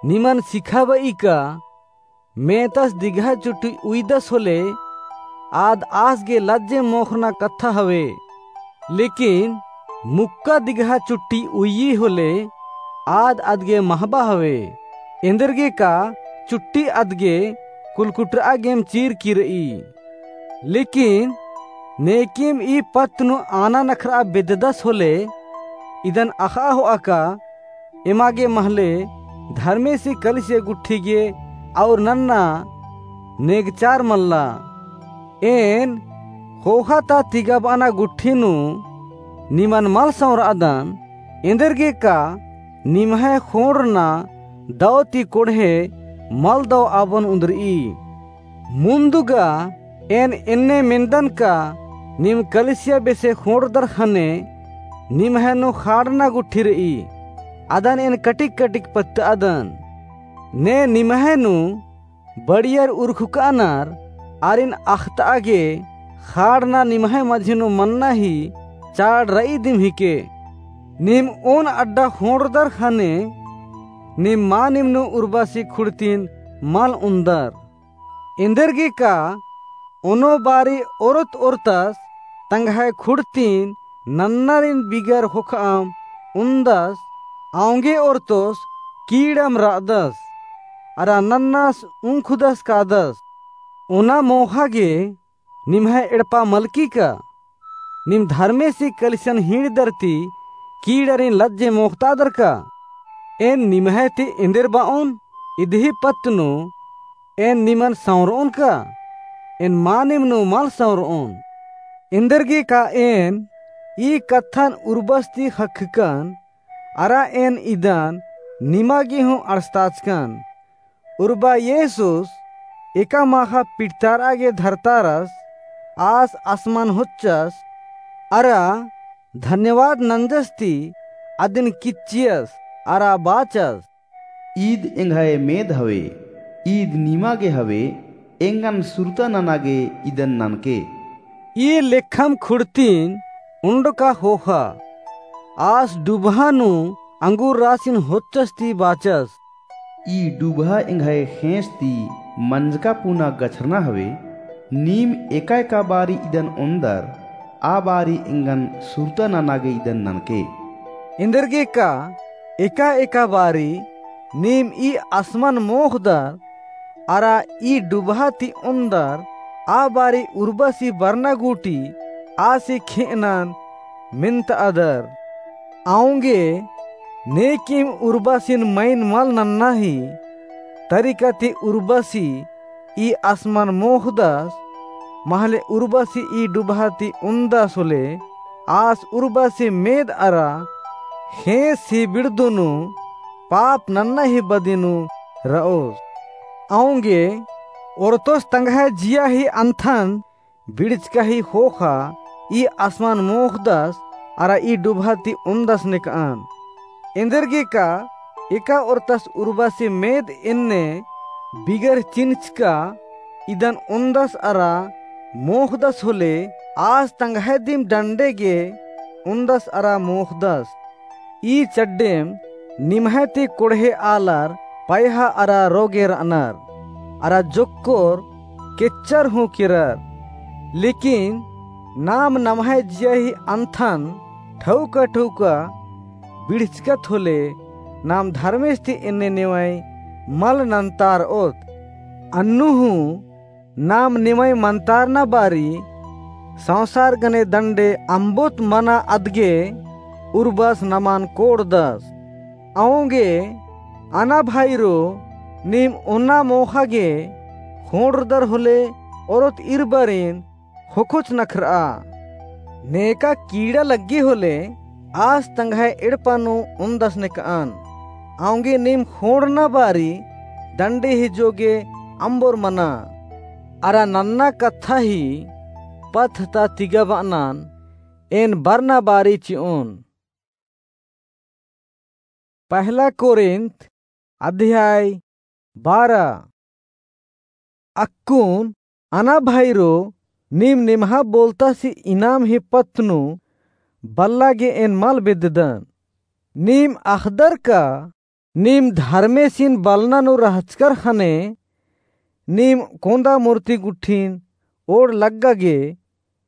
निमन सिखाबई का मेतस दिगहा चुट्टी उइदस होले, आद आस गे लज्जे मोख़ना कत्था हवे। लेकिन मुक्का दिगहा चुट्टी उइय्यी होले, आद अदगे महबा हवे। एन्देरगेका चुट्टी अदगे कुलकुटुरआ गेम चीरकी रई। लेकिन नेकिम ई पत्त नू आना नखरआ बेद्ददस होले, इदन अख़आ होआ का, एमा गे महले धर्मेसी कलिसिया गुट्ठी गे और नन्ना नेगचार मल्ला। एन ख़ोख़ा ता तिगबअना गुट्ठी नू निमन मल सँवरअदन, एन्देरगेका निम्है ख़ोंड़रना दौ ती कोड़हे मल दौ आबोन उन्दरई। मुन्दुगा एन एन्ने मेन्दन का, नीम कलिसिया बेसे ख़ोंड़दर ख़ने निम्है नू ख़ाड़ना गुट्ठी रई, अदन एन कटिक कटिक पत्तअदन। ने निम्है नू बड़ियर उरखुकानर, आरिन अख़तआ गे ख़ाड़ना निम्है मझी नू मन्ना ही चाड़ रई दिम हिके। नीम ओन अड्डा ख़ोंड़दर ख़ने नीम मानिम नू उर्बासी खुड़तिन मल उन्दर। एन्देरगेका ओनो बारी ओरत ओरतस तंग्है खुड़तिन नन्नारिन बिगर ख़ोख़ाम उन्दस, औंगे ओरतोस कीड़म रअदस, अरा नन्नास उंखुदस कादस। ओना मोख़ा गे निम्है एड़पा मलकी का? नीम धर्मेसी कलिसियन हींड़दर ती कीड़ारिन लज्जे मोख़तादर का? एन निम्है ती एन्देर बओन, इदही पत्त नू एन निमन सँवरओन का? एन मानिम नू मल सँवरओन। एन्देरगेका एन ई कत्थन उर्बस ती ख़क्खकन, अरा एन इदन निमा गे हूँ अंड़सताचकन। उर्बा येसुस एका माख़ा पिटतारआ गे धरतारस, आस आसमान होच्चस, अरा धन्यवाद नंजस ती अदिन किच्चियस, अरा बाचस, ईद एंग्है मेद हवे, ईद निमा गे हवे, एंगन सुरता नना गे इदन ननके। ई लेखम खुड़तिन उंडका ख़ोख़ा, आस डुबहा नू अंगूर रासिन होच्चस ती बाचस, ई डुबहा एंग्है ख़ेंस ती मंजका पुना गछरना हवे, नीम एका एका बारी इदन ओन्दर, आ बारी एंगन सुरता नना गे इदन ननके। एन्देरगे का एका एका बारी नीम ई आसमान मोख़दर अरा ई डुबहा ती ओन्दर, आ बारी उर्बसी बरना गूटी आसी खेअनन मेन्तअदर। औंगे नेकिम उर्बसिन मइन मल नन्ना ही तरीका ती उर्बसी ई आसमान मोख़दस, महले उर्बसी ई डुबहा ती ओन्दस होले, आस उर्बसी मेद अरा ख़ेस ही बिड़दो नू पाप नन्ना ही बदी नू रओस। औंगे ओरतोस तंग्है जिया ही अन्थन बिड़चका ही ख़ोख़ा ई आसमान मोख़दस अरा ई डुबहा ती ओन्दस नेकअन। एन्देरगे का एका ओरतस उर्बसी मेद एन्ने बिगर चिन्हचका इदन ओन्दस अरा मोख़दस होले, आस तंग्है दिम डंडे गे ओन्दस अरा मोख़दस। ई चड्डेम निम्है ती कोड़हे आलर पैहा अरा रोगे रअनर, अरा जोक्कोर केच्चर हूँ केरर। लेकिन नाम नम्है जिया ही अन्थन ठौका ठौका बिड़चकत होले, नाम धर्मेस ती एन्ने नेवई मल नन्तारओत। अन्नु हूँ नाम निमई मन्तारना बारी संसार गने दंडे अम्बोत मना अदगे उर्बस नमन कोड़दस। औंगे अना भाईरो, नीम ओन्ना मोख़ा गे ख़ोंड़रदर होले ओरोत इरबारिन ख़ोख़ोच नखरआ। नेका कीड़ा लग्गी होले आस तंग्है एड़पा नू ओन्दस नेकअन। औंगे नीम ख़ोंड़ना बारी दंडे ही जोगे अम्बोर मना। अरा नन्ना कत्था ही पत्थ ता तिगा बअनन, एन बरना बारी चिओन। पहला कोरिन्थ अध्याय बारह। अक्कुन अना भाईरो, नीम निम्हा बोलतासी इनाम ही पत्त नू बल्ला गे एन मल बेद्ददन। नीम अख़दर का नीम धर्मेसिन बलना नू रहचकर ख़ने नीम कोंदा मूर्ति गुट्ठिन ओड़ लग्गा गे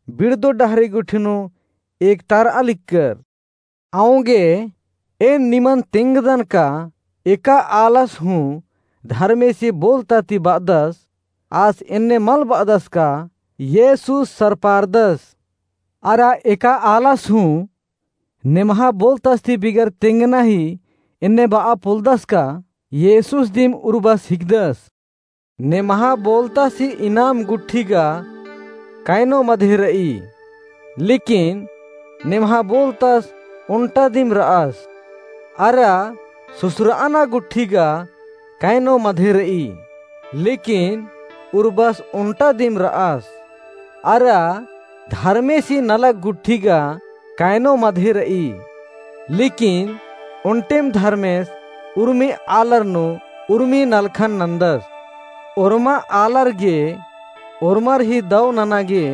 बिड़दो डहरे गुट्ठी नू एकतारआ लिक्कर। औंगे एन निमन तेंगदन का एका आलस हूँ धर्मेसी बोलता ती बअदस, आस एन्ने मल बअदस का येसुस सरपारदस। अरा एका आलस हूँ नेम्हा बोलतस ती बिगर तेंगना ही एन्ने बआ पोलदस का येसुस दिम उर्बस हिकदस। नेम्हा बोलतसी इनाम गुट्ठी गा कैनो मधे रई, लेकिन नेम्हा बोलतस ओन्टा दिम रअस। अरा सुसराना गुट्ठी गा कैनो मधे रई, लेकिन उर्बस ओन्टा दिम रअस। अरा धर्मेसी नलख गुट्ठी गा कैनो मधे रई, लेकिन ओन्टेम धर्मेस उर्मी आलर नू उर्मी नलखन नन्दस। ओर्मा आलर गे ओर्मर ही दौ नना गे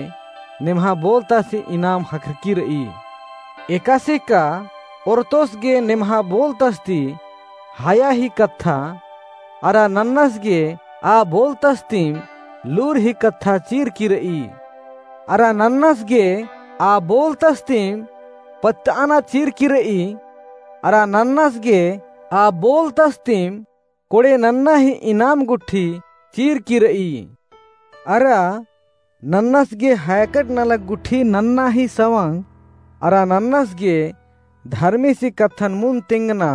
नेम्हा बोलतसी इनाम ख़क्खरकी रई। एकासे का ओर्तोस गे नेम्हा बोलतस ती हया ही कत्था, अरा नन्नस गे आ बोलतस तिम लूर ही कत्था चीरकी रई। अरा नन्नस गे आ बोलतस तिम पत्तअना चीरकी रई। अरा नन्नस गे आ बोलतस तिम कोड़े नन्ना ही इनाम गुट्ठी चीरकी रई। अरा नन्नस गे हैकट नलख गुट्ठी नन्ना ही सवंग, अरा नन्नस गे धर्मेसी कत्थन मुन तेंगना,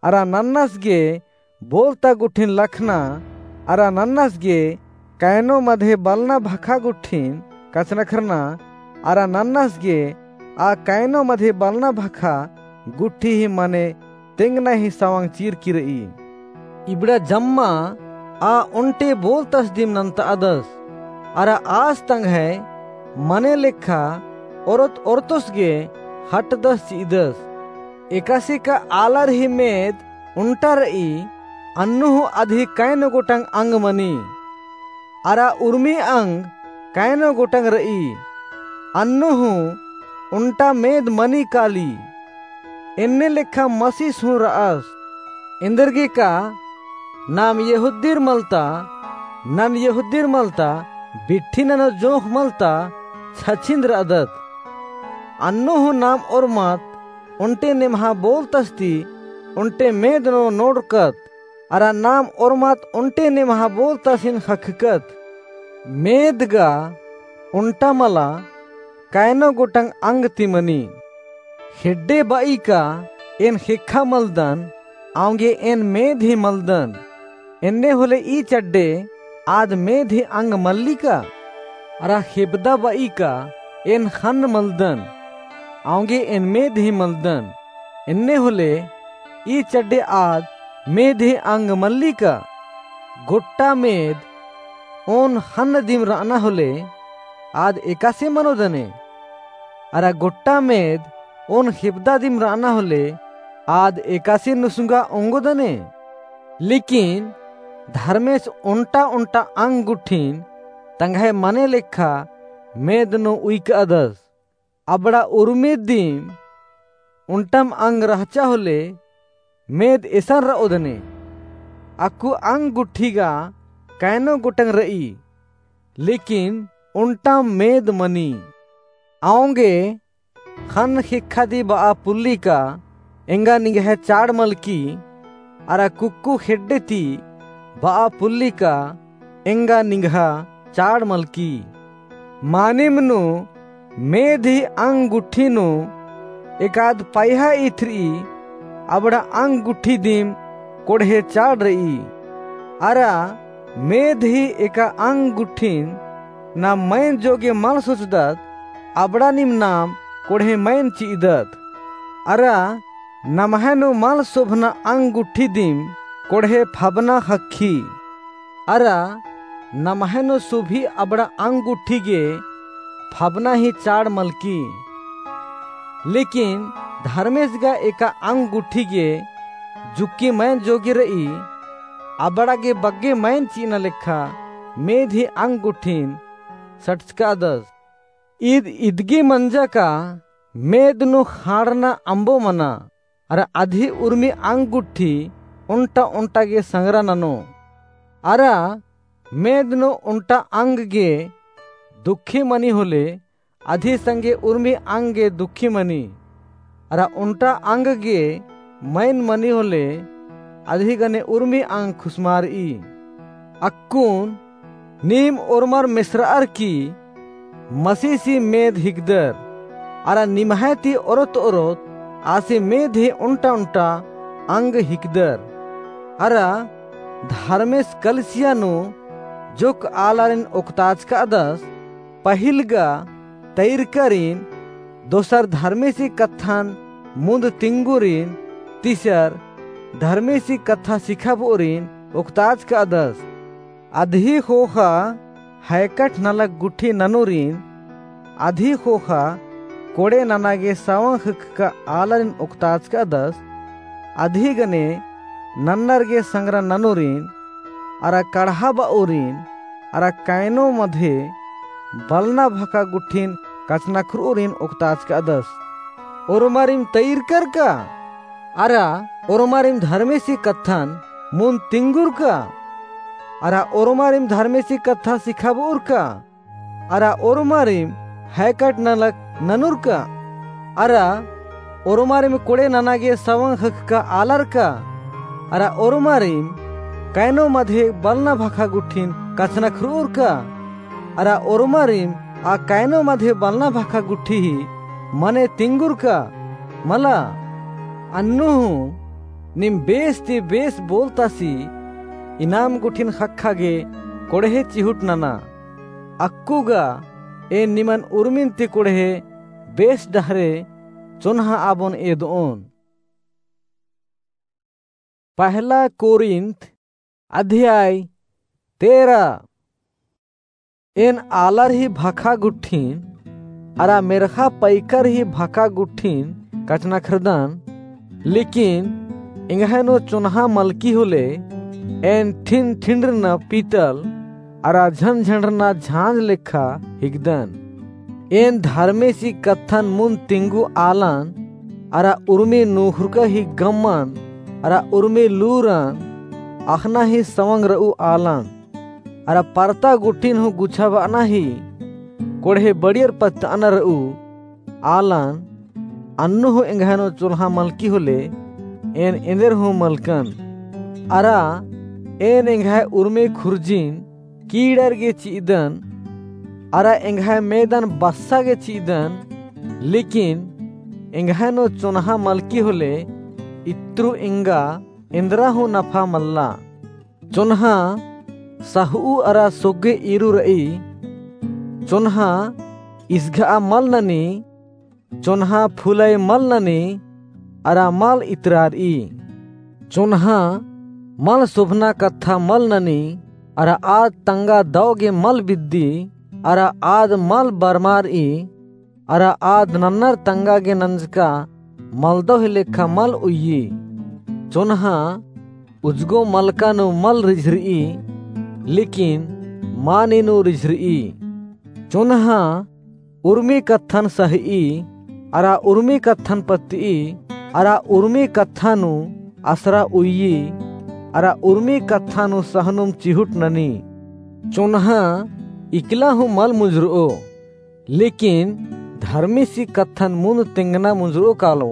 अरा नन्नस गे बोलता गुट्ठिन लखना, अरा नन्नस गे कैनो मधे बलना भखा गुट्ठिन कछनखरना, अरा नन्नस गे आ कैनो मधे बलना भखा गुट्ठी ही मने तेंगना ही सवंग चीरकी रई। इबड़ा जम्मा आ ओन्टे बोलतस दिम नन्तअदस, अरा आस तंग्है मने लेखा ओरत ओरतोस गे ख़ट्टदस चि'अदस। एकासे का आलर ही मेद ओन्टा रई, अन्नु हूँ अदही कैनो गोटंग अंग मनी। अरा उर्मी अंग कैनो गोटंग रई, अन्नु हूँ ओन्टा मेद मनी काली। एन्ने लेखा मसीस हूँ र'अस। एन्देरगे का नाम यहूदीर मलता, नन यहूदीर मलता, बिट्ठी ननो जोंख़ मलता छछिंद र'अदत। अन्नु हूँ नाम ओर्मत ओन्टे निम्हा बोलतस ती ओन्टे मेद नू नोड़रकत, अरा नाम ओर्मत ओन्टे निम्हा बोलतसिन ख़क्खकत। मेद गा ओन्टा मला, कैनो गोटंग अंग ती मनी। ख़ेड्डे बई का एन ख़ेक्खा मलदन, औंगे एन मेद ही मलदन। एन्ने होले ई चड्डे आद मेद ही अंग मल्ली का? अरा ख़ेबदा बई का एन ख़न्न मलदन, औंगे एन मेद ही मलदन। एन्ने होले ई चड्डे आद मेद ही अंग मल्ली का? गोट्टा मेद ओन ख़न्न दिम रअना होले आद एकासे मनोदने? अरा गोट्टा मेद ओन ख़ेबदा दिम रअना होले आद एकासे नुसुंगा ओंगोदने? लेकिन धर्मेस ओन्टा ओन्टा अंग गुट्ठिन तंग्है मने लेखा मेद नू उइकअदस। अबड़ा उर्मी दिम ओन्टम अंग रहचा होले मेद एसन रओदने। अक्कु अंग गुट्ठी गा कैनो गोटंग रई, लेकिन ओन्टम मेद मनी। औंगे ख़न्न ख़ेक्खा दी बआ पुल्ली का एंगा निंग्है चाड़ मलकी, अरा कुक्कु ख़ेड्डे ती बआ पुल्ली का एंगा निंग्हा चाड़ मलकी। मानिम नू मेद ही अंग गुट्ठी नू एकाद पैहा इथरी अबड़ा अंग गुट्ठी दिम कोड़हे चाड़ रई। अरा मेद ही एका अंग गुट्ठिन नाम मइन जोगे मल सोचदत, अबड़ा नीम नाम कोड़हे मइन चिअदत। अरा नम्है नू मल सोभना अंग गुट्ठी दिम कोड़हे फबना ख़क्खी। अरा नम्है नू सोभी अबड़ा अंग गुट्ठी गे फबना ही चाड़ मलकी। लेकिन धर्मेस गा एका अंग गुट्ठी गे जुक्की मइन जोगे रई, अबड़ा गे बग्गे मइन चिअना लेखा मेद ही अंग गुट्ठिन सटचकादस। ईद इदगी मंजा का मेद नू ख़ाड़ना अम्बो मना, अरा अदही उर्मी अंग गुट्ठी ओन्टा ओन्टा गे संगरा ननो। अरा मेद नू ओन्टा अंग गे दुखी मनी होले अदही संगे उर्मी अंग गे दुखी मनी। अरा ओन्टा अंग गे मइन मनी होले अदही गने उर्मी अंग खुसमारई। अक्कुन नीम ओर्मर मेसरअर की मसीसी मेद हिकदर, अरा निम्है ती ओरोत ओरोत आसी मेद ही ओन्टा ओन्टा अंग हिकदर। अरा धर्मेस कलिसिया नू जोक आलारिन ओक्ताचकादस, पहिल गा तैरकारिन, दोसर धर्मेसी कत्थन मुन्द तिंगुरिन, तीसर धर्मेसी कत्था सिखाबओरिन ओक्ताचकादस। अदही ख़ोख़ा हैकट नलख गुट्ठी ननुरिन, अदही ख़ोख़ा कोड़े नना गे सवंग ख़क्खका आलारिन ओक्ताचकादस, अदही गने नन्नर गे संगरा ननुरिन, अरा कड़हा बओरिन, अरा कैनो मधे बलना भखा गुट्ठिन कछनखरओरिन ओक्ताचकादस। ओर्मारिम तैरकर का? अरा ओर्मारिम धर्मेसी कत्थन मुन्द तिंगुर का? अरा ओर्मारिम धर्मेसी कत्था सिखाबओर का? अरा ओर्मारिम हैकट नलख ननुर का? अरा ओर्मारिम कोड़े नना गे सवंग ख़क्खका आलर का? अरा ओर्मारिम कैनो मधे बलना भखा गुट्ठिन कछनखरओर का? अरा ओर्मारिम आ कैनो मधे बलना भखा गुट्ठी ही मने तिंगुर का? मला। अन्नु हूँ नीम बेस ती बेस बोलतासी इनाम गुट्ठिन ख़क्खा गे कोड़हे चिहुट नना। अक्कु गा एन निमन उर्मिन ती कोड़हे बेस डहरे चोन्हा आबोन एदओन। पहला कोरिन्थ अध्याय तेरह। एन आलर ही भखा गुट्ठिन, अरा मेर्ख़ा पैकर ही भखा गुट्ठिन कछनखरदन, लेकिन एंग्है नू चोन्हा मलकी होले, एन ठिन ठिंडरना पीतल, अरा झनझंडरना झांझ लेखा हिकदन। एन धर्मेसी कत्थन मुन्द तिंगु आलन, अरा उर्मी नूख़ुरका ही गम्मन, अरा उर्मी लूरन अख़ना ही सवंग रऊ आलन। अरा परता गुट्ठिन हूँ गुछाबअना ही कोड़हे बड़ियर पत्तअना रऊ। आलन, अन्नु हूँ एंग्है नू चोन्हा मलकी होले, एन एन्देर हूँ मलकन। अरा एन एंग्है उर्मी खुर्जिन कीड़र गे चिअदन, अरा एंग्है मेदन बस्सा गे चिअदन, लेकिन एंग्है नू चोन्हा मलकी होले, इत्रु एंगा एन्देरा हूँ नफा मल्ला। चोन्हा सहु अरा सोग्गे ईरू रई। चोन्हा इसघा मल ननी, चोन्हा फुलई मल ननी, अरा मल इतरारई। चोन्हा मल सोभना कत्था मल ननी, अरा आद तंगा दव गे मल बिद्दी, अरा आद मल बरमारई, अरा आद नन्नर तंगा गे नंजका मलदव ही लेखा मल उइय्यी। चोन्हा उजगो मलका नू मल रिझरई, लेकिन मानी नू रिझरई। चोन्हा उर्मी कत्थन सहई, अरा उर्मी कत्थन पत्तई, अरा उर्मी कत्था नू असरा उइय्यी, अरा उर्मी कत्था नू सहनुम चिहुट ननी। चोन्हा इकला हूँ मल मुंजरओ, लेकिन धर्मेसी कत्थन मुन्द तेंगना मुंजरओ कालो,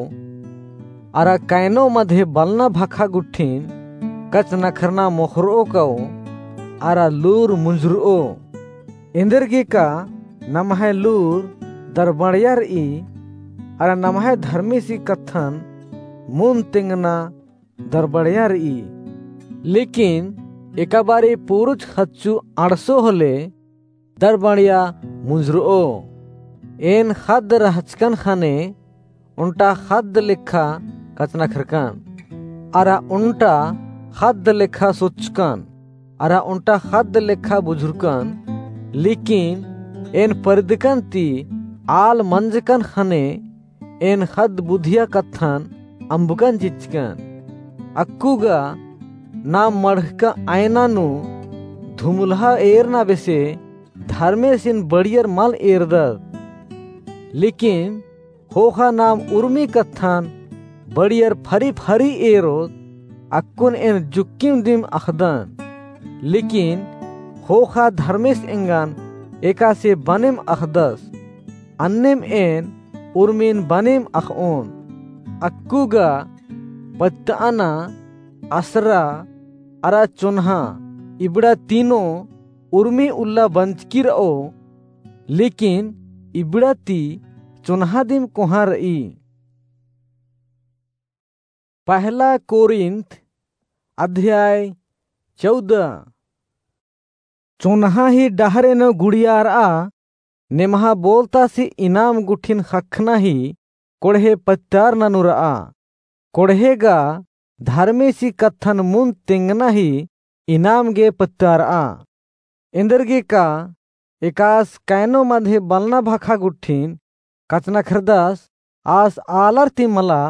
अरा कैनो मधे बलना भखा गुट्ठिन कचनखरना मोखरओ काओ, अरा लूर मुंजरओ। एन्देरगे का नम्है लूर दरबड़िया रई, अरा नम्है धर्मेसी कत्थन मुन्द तेंगना दरबड़िया रई। लेकिन एका बारी पूरुच खच्चू अंड़सो होले, दरबड़िया मुंजरओ। एन ख़द्द रहचकन ख़ने ओन्टा ख़द्द लेखा कचनखरकन, अरा ओन्टा ख़द्द लेखा सोचकन, अरा ओन्टा ख़द्द लेखा बुझुरकन, लेकिन एन परिदकन ती आल मंजकन ख़ने एन ख़द्द बुधिया कत्थन अम्बकन चिच्चकन। अक्कु गा नाम मड़खका आयना नू धुमुलहा एरना बेसे धर्मेसिन बड़ियर मल एरदत। लेकिन ख़ोख़ा नाम उर्मी कत्थन बड़ियर फरी फरी एरोत, अक्कुन एन जुक्किम दिम अख़दन। लेकिन ख़ोख़ा धर्मेस एंगन एकासे बनेम अख़दस। अन्नेम एन उर्मिन बनेम अख़ओन। अक्कु गा पत्तअना, असरा, अरा चोन्हा इबड़ा तीनों उर्मी उल्ला बंचकी रओ, लेकिन इबड़ा ती चोन्हा दिम कोहाँ रई। पहला कोरिन्थ अध्याय चौदह। चोन्हा ही डहरे नू गुड़ियारआ, नेम्हा बोलतासी इनाम गुट्ठिन ख़क्खना ही कोड़हे पत्तारना नू रआ। कोड़हे गा धर्मेसी कत्थन मुन्द तेंगना ही इनाम गे पत्तारआ। एन्देरगे का एकास कैनो मधे बलना भखा गुट्ठिन कचनखरदस, आस आलर ती मला,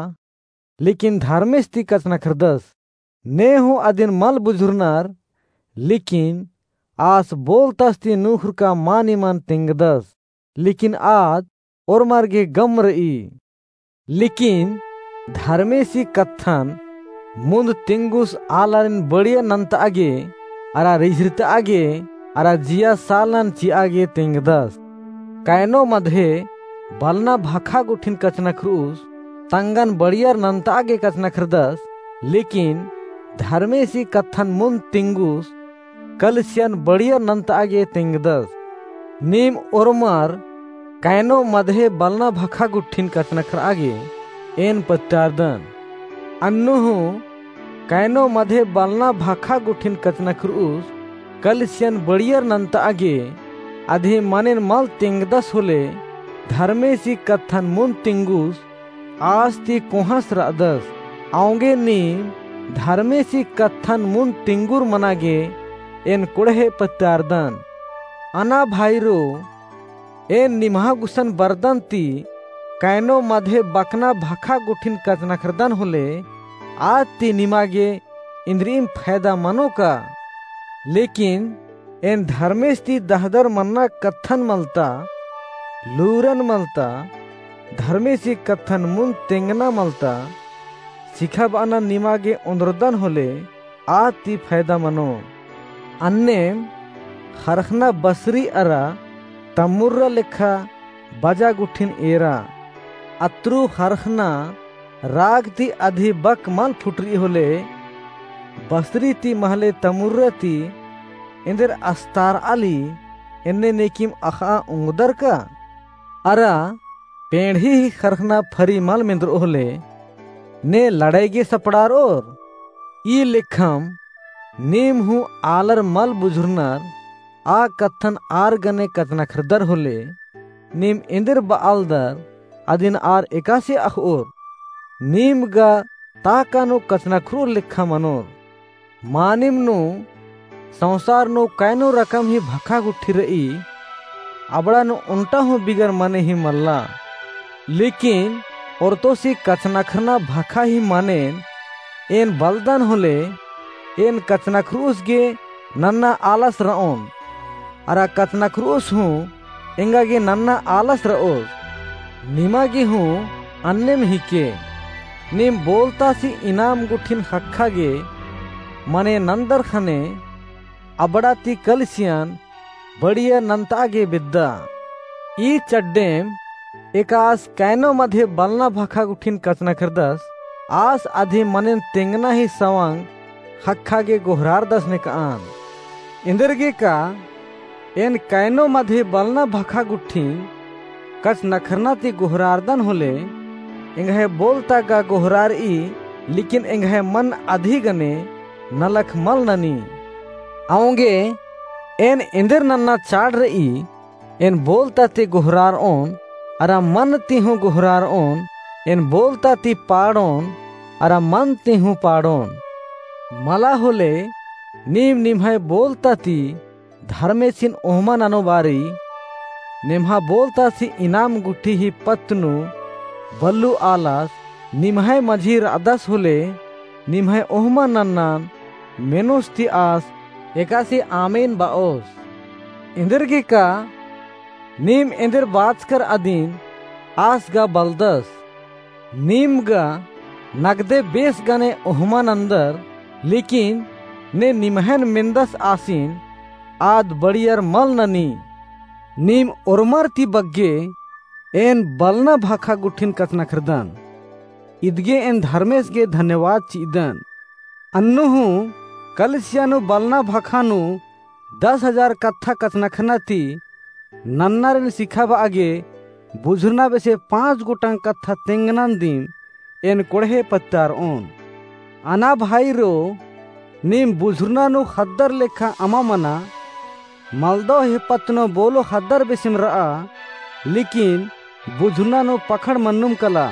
लेकिन धर्मेस ती कचनखरदस। ने हूँ अदिन मल बुझुरनर, लेकिन आस बोलतस ती नुखुरका मानिमन तेंगदस, लेकिन आद ओर्मर गे गम रई। लेकिन धर्मेसी कत्थन मुन्द तेंगुस आलारिन बड़िया नन्तआ गे, अरा रिझरितआ गे, अरा जिया सालनन चिआ गे तेंगदस। कैनो मधे बलना भखा गुट्ठिन कचनखरुस, तंगन बड़ियर नन्तआ गे कचनखरदस, लेकिन धर्मेसी कत्थन मुन्द तेंगुस, कलिसियन बड़ियर नन्तआ गे तेंगदस। नीम ओर्मर कैनो मधे बलना भखा गुट्ठिन कचनखरआ गे एन पत्तारदन। अन्नु हूँ कैनो मधे बलना भखा गुट्ठिन कचनखरुस, कलिसियन बड़ियर नन्तआ गे, अदिम मनेन मल तेंगदस होले, धर्मेसी कत्थन मुन्द तेंगुस, आस ती कोहाँस रअदस। औंगे नीम धर्मेसी कत्थन मुन्द तेंगुर मना गे एन कोड़हे पत्तारदन। अना भाईरो, एन निम्हा गुसन बरदन ती कैनो मधे बकना भखा गुट्ठिन कचनखरदन होले, आद ती निमा गे इन्द्रिइम फैदा मनो का? लेकिन एन धर्मेस ती दहदर मन्ना कत्थन मलता, लूरन मलता, धर्मेसी कत्थन मुन्द तेंगना मलता, सिखाबअना निमा गे ओन्द्रदन होले, आद ती फैदा मनो। अन्नेम ख़रख़ना बसरी अरा तम्मुर्रा लेखा बजा गुट्ठिन एरा। अत्रु ख़रख़ना राग ती अधी बक मल फुटरई होले, बसरी ती महले तमुर्रा ती एन्देर अस्तार'आली एन्ने नेकिम अख़'आ ओंगदर का? अरा पेंड़ही ही ख़रख़ना फरी मल मेंदर'ओ होले, ने लड़ाई गे सपड़ार'ओर? ई लेखम नीम हूँ आलर मल बुझुरनर, आ कत्थन आर गने कछनखरदर होले, नीम एन्देर ब'आलदर अदिन आर एकासे अख़'ओर। नीम गा ताका नू कछनखर'ओर लेखा मनोर। मानिम नू संसार नू कैनो रकम ही भखा गुट्ठी र'ई, अबड़ा नू ओन्टा हूँ बिगर मने ही मल्ला। लेकिन ओर्तोसी कछनखरना भखा ही मनेन एन बलदन होले, एन कछनखर'ओस गे नन्ना आलस र'ओन। अरा कछनखर'ओस हूँ एंगा गे नन्ना आलस र'ओस। निमा गे हूँ अन्नेम हिके। नीम बोलतासी इनाम गुट्ठिन ख़क्खा गे मने नन्दर ख़ने अबड़ा ती कलिसियन बढ़िया नन्त'आ गे बेद्दा। ई चड्डेम एकास कैनो मधे बलना भखा गुट्ठिन कछनखरदस, आस अधी मनेन तेंगना ही सवंग ख़क्खा गे गोहरारदस नेक'अन। एन्देरगे का एन कैनो मधे बलना भखा गुट्ठिन कछनखरना ती गोहरारदन होले, एंग्है बोलता गा गोहरार'ई, लेकिन एंग्है मन अधी गने नलख मल ननी। औंगे एन एन्देर नन्ना चाड़ र'ई, एन बोलता ती गोहरार'ओन, अरा मन ती हूँ गोहरार'ओन, एन बोलता ती पाड़'ओन, अरा मन ती हूँ पाड़'ओन। मला होले नीम निम्है बोलता ती धर्मेसिन ओहमा ननो बारी, नेम्हा बोलतासी इनाम गुट्ठी ही पत्त नू बल्लू आलस निम्है मझी र'अदस होले, निम्है ओहमा नन्नन मेनोस ती आस एकासे आमेन ब'ओस। एन्देरगे का नीम एन्देर बाचकर अदिन आस गा बलदस। नीम गा नगदे बेस गने ओहमा नन्दर, लेकिन ने निम्हैन मेन्दस आसिन आद बढ़ियर मल ननी। नीम ओर्मर ती बग्गे एन बलना भखा गुट्ठिन कछनखरदन। इदगे एन धर्मेस गे धन्यवाद चि'अदन। अन्नु हूँ कलिसिया नू बलना भखा नू दस हजार कत्था कछनखरना ती नन्नारिन सिखाब'आ गे बुझुरना बेसे पाँच गोटंग कत्था तेंगनन दिम एन कोड़हे पत्तार'ओन। अना भाईरो, नीम बुझुरना नू ख़द्दर लेखा अमा मना, मलदव ही पत्त नू बोलो ख़द्दर बेसेम र'आ, लेकिन बुझुरना नू पखड़ मन्नुम कला।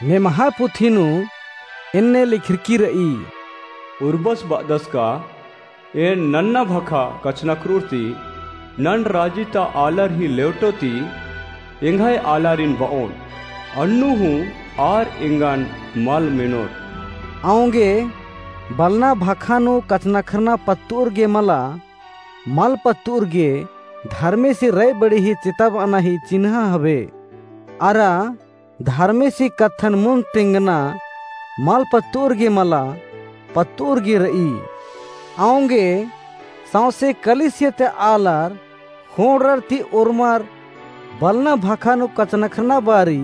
नेम्हा पुथी नू एन्ने लिखरकी र'ई। उर्बस ब'अदस का एन नन्ना भखा कछनखर'ओर ती नन राजी ता आलर ही लेवटो ती एंग्है आलारिन ब'ओन। अन्नु हूँ आर एंगन मल मेनोर। औंगे बलना भखा नू कछनखरना पत्त'ओर गे मला, मल पत्त'ओर गे धर्मेसी रई बड़ी ही चेताब'अना ही चिन्हा हवे। अरा धर्मेसी कत्थन मुन्द तेंगना मल पत्त'ओर गे मला, पत्त'ओर गे र'ई। औंगे सौंसे कलिसिया ता आलर ख़ोंड़रर ती ओर्मर बलना भखा नू कछनखरना बारी,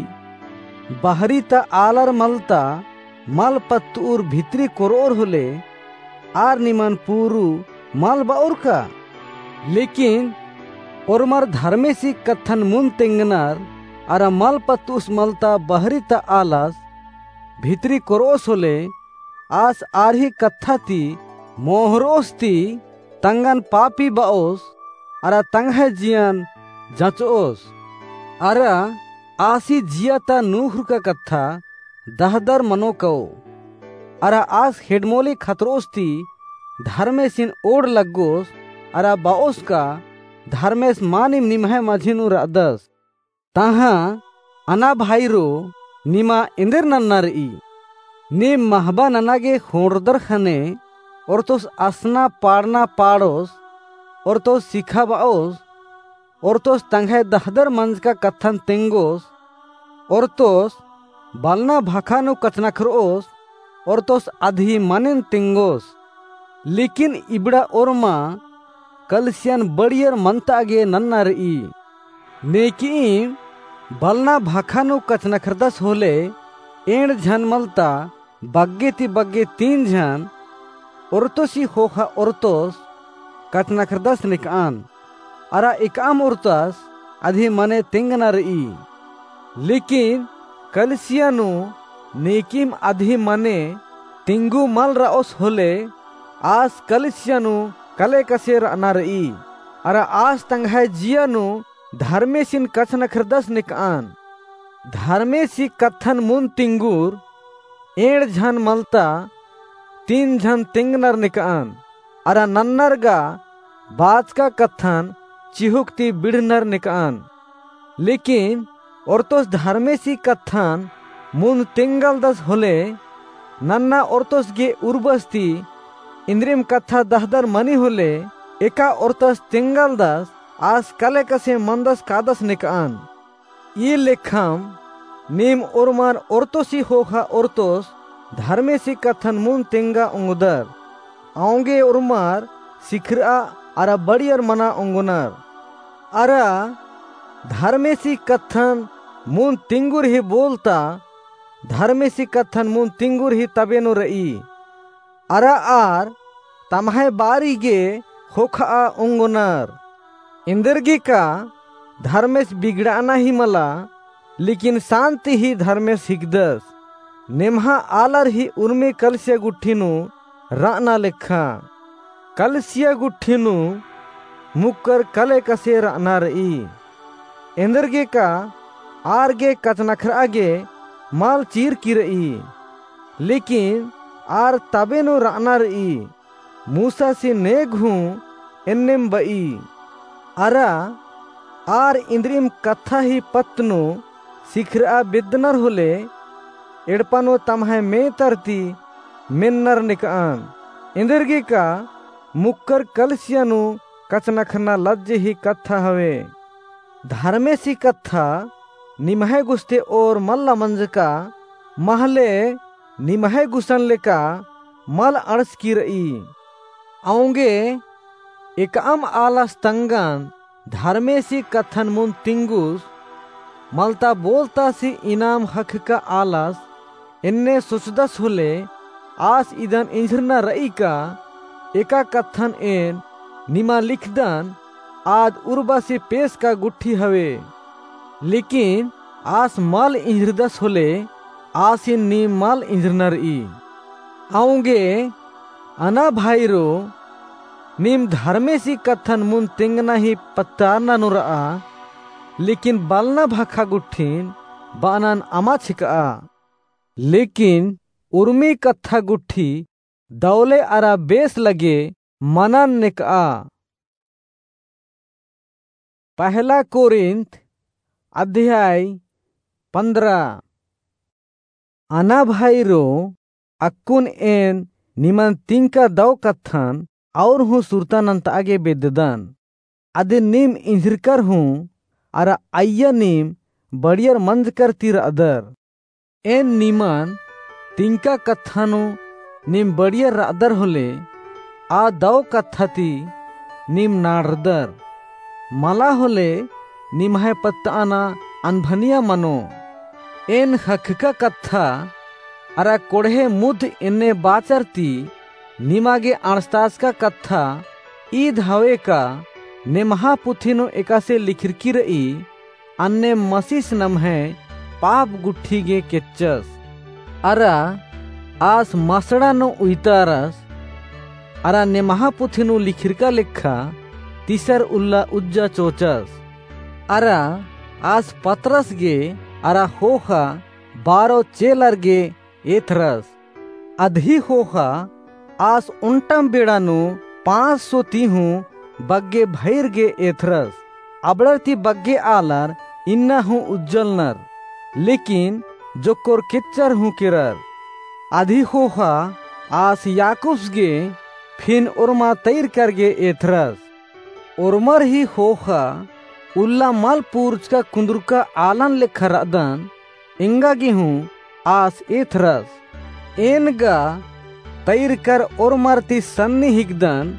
बहरी ता आलर मलता मल पत्त'ओर भितरी कोर'ओर होले, आर निमन पूरू मल ब'ओर का? लेकिन ओर्मर धर्मेसी कत्थन मुन्द तेंगनर, अरा मल पत्त'ओस मलता बहरी ता आलस भितरी कोर'ओस होले, आस आर ही कत्था ती मोहर'ओस ती तंगन पापी ब'ओस, अरा तंग्है जियन जच'ओस। अरा आसी जिया ता नूख़रुका कत्था दहदर मनो कओ। अरा आस हेडमोली खतर'ओस ती धर्मेसिन ओड़ लग्गोस, अरा ब'ओस का धर्मेस मानिम निम्है मझी नू र'अदस। तहाँ अना भाईरो, निमा एन्देर नन्ना र'ई? नीम महबा नना गे ख़ोंड़रदर ख़ने ओर्तोस असना पाड़ना पाड़ोस, ओर्तोस सिखाब'ओस, ओर्तोस तंग्है दहदर मंजका कत्थन तेंगोस, ओर्तोस बलना भखा नू कछनखर'ओस, ओर्तोस अदही मनेन तेंगोस। लेकिन इबड़ा ओर्मा कलिसियन बढ़ियर मन्ता गे नन्ना र'ई। नेकिइम बलना भखा नू कछनखरदस होले एंड़ झन मलता बग्गे ती बग्गे तीन झन ओरतोसी ख़ोख़ा ओरतोस कछनखरदस निकअन। अरा एकअम ओरतस अदी मने तेंगना रई। लेकिन कलिसिया नू नीकिम अदी मने तिंगु मल रओस होले आस कलिसिया नू कले कसे रअना रई। अरा आस तंग्है जिया नू धर्मेसिन कछनखरदस निकअन। धर्मेसी कत्थन मुन्द तिंगुर एंड़ झन मलता तीन झन तेंगनर निकअन। अरा नन्नर गा बाचका कत्थन चिहुक ती बिड़नर निकअन। लेकिन ओरतोस धर्मेसी कत्थन मुन्द तेंगलदस होले नन्ना ओरतोस गे उर्बस ती इन्द्रिम कत्था दहदर मनी होले एका ओरतस तेंगलदस आस कले कसे मनदस कादस निकअन। ई लेखम नीम ओर्मर ओरतोसी ख़ोख़ा ओरतोस धर्मेसी कत्थन मुन्द तेंगा ओंगदर। औंगे ओर्मर सिखरआ अरा बड़ियर मना ओंगनर। अरा धर्मेसी कत्थन मुन्द तिंगुर ही बोलता धर्मेसी कत्थन मुन्द तिंगुर ही तबे नू रई। अरा आर तम्है बारी गे ख़ोख़आ ओंगनर। एन्देरगेका धर्मेस बिगड़ाना ही मला, लेकिन शान्ति ही धर्मेस हिकदस। नेम्हा आलर ही उर्मी कलिसिया गुट्ठी नू रअना लेखा। कलिसिया गुट्ठी नू मुक्कर कले कसे रअना रई। एन्देरगेका आर गे कछनखरआ गे मल चीरकी रई। लेकिन आर तबे नू रअना रई। मूसासी नेग हूँ एन्नेम बई। अरा आर इन्द्रिम कत्था ही पत्त नू सिखरआ बेद्दनर होले एड़पा नू तम्है मेतर ती मेन्नर निकअन। एन्देरगेका मुक्कर कलिसिया नू कछनखरना लज्जे ही कत्था हवे। धर्मेसी कत्था निम्है गुस्ते ओर मल्ला मंजका, महले निम्है गुसन लेका मल अंड़सकी रई। औंगे एकअम आलस तंगन धर्मेसी कत्थन मुन्द तिंगुस मलता बोलतासी इनाम ख़क्खका आलस एन्ने सोचदस होले आस इदन इंझरना रई का एका कत्थन एन निमा लिखदन आद उर्बासी पेसका गुट्ठी हवे। लेकिन आस मल इंझरदस होले आसिन नीम मल इंझरना रई। औंगे अना भाईरो, नीम धर्मेसी कत्थन मुन्द तेंगना ही पत्तारना नू रआ, लेकिन बलना भखा गुट्ठिन बअनन अमा छिकआ। लेकिन उर्मी कत्था गुट्ठी दौले अरा बेस लगे मनन नेकआ। पहला कोरिन्थ अध्याय पन्द्रह। अना भाईरो, अक्कुन एन निमन तिंका दौ कत्थन और हूँ सुरता नन्तआ गे बेद्ददन। अदिन नीम इंझिरकर हूँ अरा अइय्या नीम बड़ियर मंजकर ती रअदर। एन निमन तिंका कत्था नू नीम बड़ियर रअदर होले, आ दौ कत्था ती नीम नाड़रदर। मला होले निम्है पत्तअना अनभनिया मनो। एन ख़क्खका कत्था अरा कोड़हे मुद्ध एन्ने बाचर ती निमा गे अंड़सताचका कत्था ईद हवे का नेम्हा पुथी नू एकासे लिखरकी रई, अन्ने मसीस नम्है पाप गुट्ठी गे केच्चस। अरा आस मसड़ा नू उइतारस, अरा नेम्हा पुथी नू लिखरका लेखा तीसर उल्ला उज्जा चोचस। अरा आस पतरस गे अरा ख़ोख़ा बारो चेलर गे एथरस। अदही ख़ोख़ा आस ओन्टम बेड़ा नू पाँच सौ ती हूँ बग्गे भइर गे एथरस। अबड़र ती बग्गे आलर इन्ना हूँ उज्जलनर, लेकिन जोक्कोर केच्चर हूँ केरर। अदही ख़ोख़ा आस याकूब्स गे फिन ओर्मा तैरकर गे एथरस। ओर्मर ही ख़ोख़ा उल्ला मल पूरचका कुन्दुरका आलन लेखा रअदन, एंगा गे हूँ आस एथरस। एन गा तैरकर ओर्मर ती सन्नी हिकदन,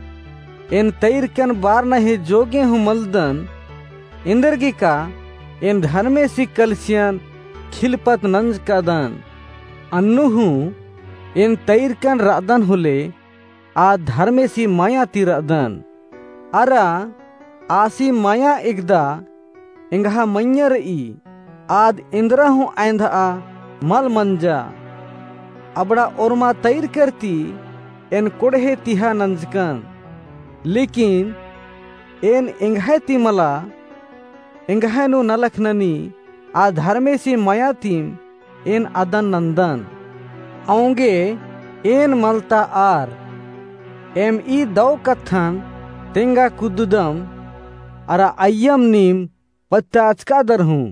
एन तैरकन बारना ही जोगे हूँ मलदन, एन्देरगे का एन धर्मेसी कलसियन खिलपत नंजकादन। अन्नु हूँ एन तइरकन रअदन होले, आद धर्मेसी माया ती रअदन। अरा आसी माया एकदा एंग्हा मइय्याँ रई, आद एन्दरा हूँ अँइन्धआ मल मंजा। अबड़ा ओर्मा तइरकर ती एन कोड़हे तिहा नंजकन। लेकिन एन एंग्है ती मला, एंग्है नू नलख ननी, आ धर्मेसी माया तिम एन अदन नन्दन। औंगे एन मलता आर, एम ई दौ कत्थन तेंगा कुद्ददम, अरा अइय्यम नीम पत्ताचकादर हूँ।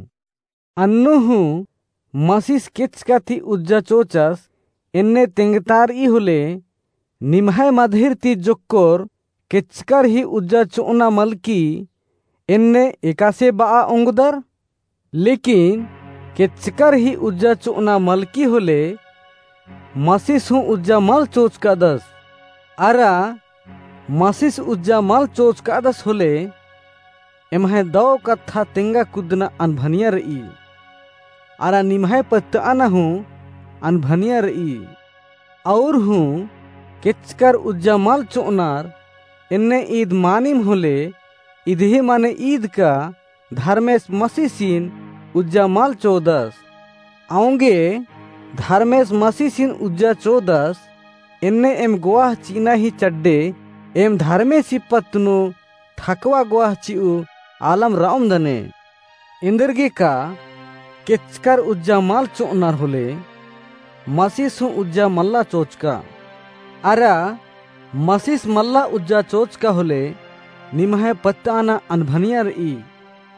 अन्नु हूँ मसिस केचका ती उज्जा चोचस, एन्ने तेंगतारई होले, निम्है मदहिर ती जोक्कोर केचकर ही उज्जा चोअना मलकी, एन्ने एकासे बआ ओंगदर? लेकिन केचकर ही उज्जा चोअना मलकी होले, मसिस हूँ उज्जा मल चोचकादस। अरा मसिस उज्जा मल चोचकादस होले, एम्है दौ कत्था तेंगा कुद्दना अनभनिया रई। अरा निम्है पत्तअना हूँ अनभनिया रई। और हूँ केचकर उज्जा मल चोअनर, एन्ने ईद मानिम होले, इदही माने ईद का धर्मेस मसीसिन उज्जा मल चोदस। औंगे धर्मेस मसीसिन उज्जा चोदस, एन्ने एम गोवाह चिअना ही चड्डे, एम धर्मेसी पत्त नू ठकवा गोवाह चिउ आलम रओम दने। एन्देरगे का केचकर उज्जा मल चोअनर होले, मसीस हूँ उज्जा मल्ला चोचका। अरा मसीस मल्ला उज्जा चोचका होले, निम्है पत्तअना अनभनिया रई।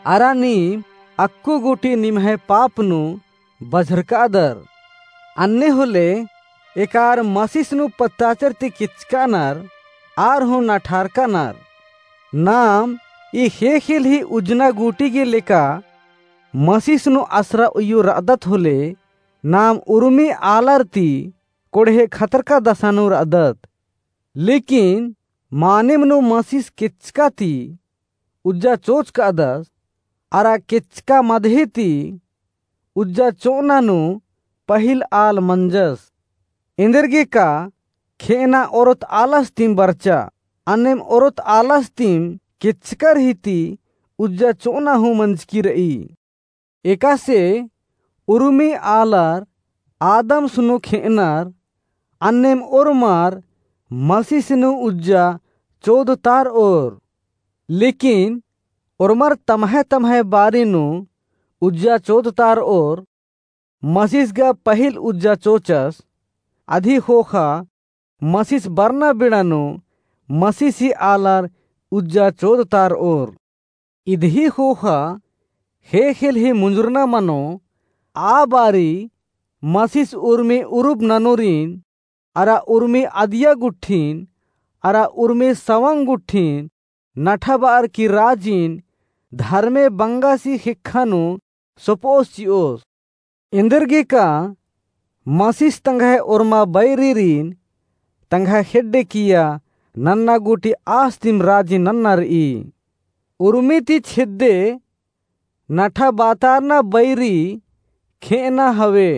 अरा नीम अक्कु गूटी निम्है पाप नू बझरकादर। अन्ने होले एकार मसीस नू पत्ताचर ती केचकानर, आर हूँ नठारकानर। नाम ई ख़ेख़ेल ही उज्जना गूटी गे लेका मसीस नू असरा उइय्यो रअदत होले, नाम उर्मी आलर ती कोड़हे खतरका दसा नू रअदत। लेकिन मानिम नू मसीस केचका ती उज्जा चोचकादस, अरा केचका मदही ती उज्जा चोअना नू पहिल आल मंजस। एन्देरगे का खेअना ओरोत आलस तिम बरचा, अन्नेम ओरोत आलस तिम केचकर ही ती उज्जा चोअना हूँ मंजकी रई। एकासे उर्मी आलर आदमस नू खेअनर, अन्नेम ओर्मर मसीस नू उज्जा चोदतारओर। लेकिन ओर्मर तम्है तम्है बारी नू उज्जा चोदतारओर। मसीस गा पहिल उज्जा चोचस, अदी ख़ोख़ा मसीस बरना बेड़ा नू मसीसी आलर उज्जा चोदतारओर। इदही ख़ोख़ा ख़ेख़ेल ही मुंजुरना मनो, आ बारी मसीस उर्मी उरुब ननोरिन, अरा उर्मी अदिया गुट्ठिन, अरा उर्मी सवंग गुट्ठिन, नठा बअर की राजिन, धर्मे बंगासी ख़ेक्खा नू सोपओस चिओस। एन्देरगे का मसीस तंग्है ओर्मा बैरीरिन तंग्है ख़ेड्डे किया नन्ना गूटी आस तिम राजी नन्ना रई। उर्मी ती छेद्दे नठा बातारना बैरी खेअना हवे।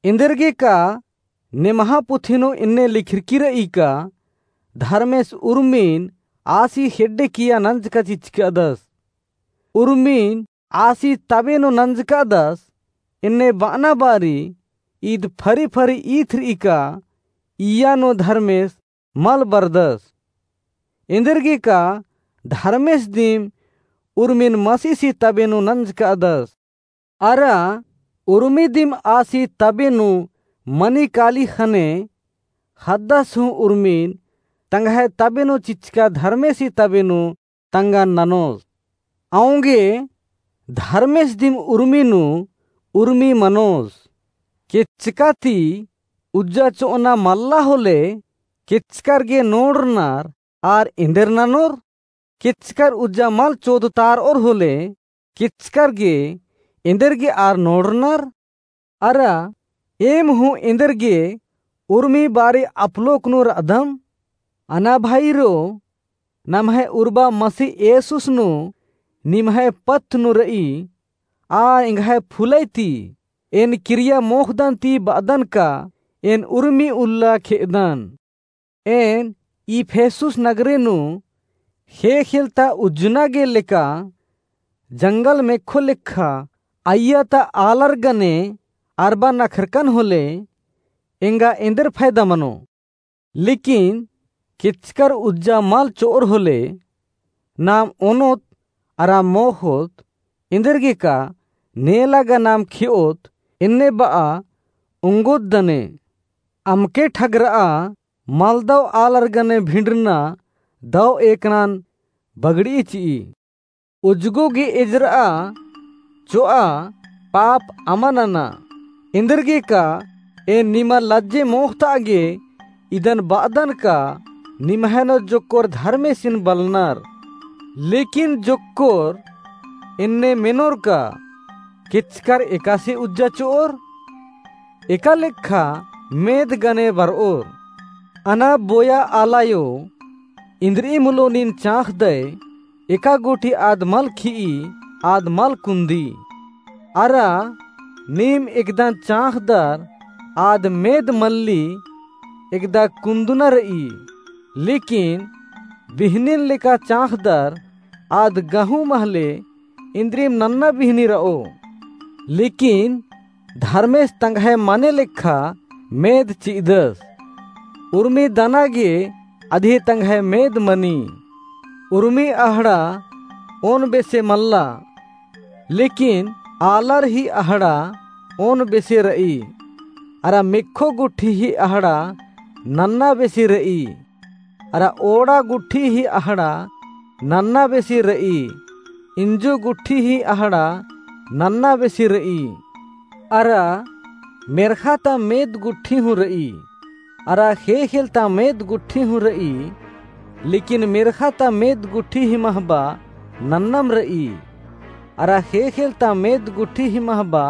एन्देरगे का नेम्हा पुथी नू एन्ने लिखरकी रई का धर्मेस उर्मिन आसी ख़ेड्डे किया नंजका चिचकादस। उर्मिन आसी तबे नू नंजकादस, एन्ने बअना बारी ईद फरी फरी ईथरई का इया नू धर्मेस मल बरदस। एन्देरगे का धर्मेस दिम उर्मिन मसीसी तबे नू नंजकादस। अरा उर्मी दिम आसी तबे नू मनी काली ख़ने ख़द्दस हूँ उर्मिन तंग्है तबे नू चिचका धर्मेसी तबे नू तंगन ननोस। औंगे धर्मेस दिम उर्मी नू उर्मी मनोस। केचका ती उज्जा चोअना मल्ला होले केचकर गे नोड़रनर आर एन्देर ननोर? केचकर उज्जा मल चोदतारओर होले केचकर गे एन्देर गे आर नोड़रनर? अरा एम हूँ एन्देर गे उर्मी बारी अपलोक नू रअदम? अना भाईरो, नम्है उर्बा मसीह येसुस नू निम्है पत्त नू रई, आ एंग्है फुलई ती एन किरिया मोख़दन ती बअदन का एन उर्मी उल्ला खेअदन। एन इफिसुस नगरे नू ख़ेख़ेल ता उज्जना गे लेका जंगल मेक्खो लेखा अइय्या ता आलर गने अरबा नखरकन होले एंगा एन्देर फैदा मनो। लेकिन केचकर उज्जा मल चो'ओर होले, नाम ओनोत अरा मोख़ोत, एन्देरगे का नेला गा नाम खे'ओत, एन्ने ब'आ ओंगोत दने। अमके ठगर'आ मलदव आलर गने भिंडरना दव एकनन बगड़ई चि'ई। उज्जगो गे एजर'आ चो'आ पाप अमा नना। एन्देरगे का एन निमा लज्जे मोख़त'आ गे इदन ब'अदन का निम्है नू जोक्कोर धर्मेसिन बलनर। लेकिन जोक्कोर एन्ने मेनोर का केचकर एकासे उज्जा चो'ओर? एका लेखा मेद गने बर'ओर। अना बोया आलायो, इन्द्रि'ई मुलो नीन चाँख़दय, एका गुठी आद मल खि'ई, आद मल कुन्दी। अरा नीम एकदा चाँख़दर आद मेद मल्ली एकदा कुन्दुना र'ई। लेकिन बिहनिन लेका चाँख़दर आद गहूँ महले इन्द्रिम नन्ना बिहनी र'ओ। लेकिन धर्मेस तंग्है मने लेखा मेद चि'अदस। उर्मी दना गे अदिही तंग्है मेद मनी। उर्मी अहड़ा ओन बेसे मल्ला, लेकिन आलर ही अहड़ा ओन बेसे र'ई। अरा मेक्खो गुठी ही अहड़ा नन्ना बेसे र'ई। अरा ओड़ा गुठी ही अहड़ा नन्ना बेसे र'ई, इंजो गुठी ही अहड़ा नन्ना बेसे र'ई। अरा मेर्ख़ा ता मेद गुठी हूँ र'ई, अरा ख़ेख़ेल ता मेद गुठी हूँ र'ई, लेकिन मेर्ख़ा ता मेद गुठी ही महबा नन्नम र'ई, अरा ख़ेख़ेल ता मेद गुठी ही महबा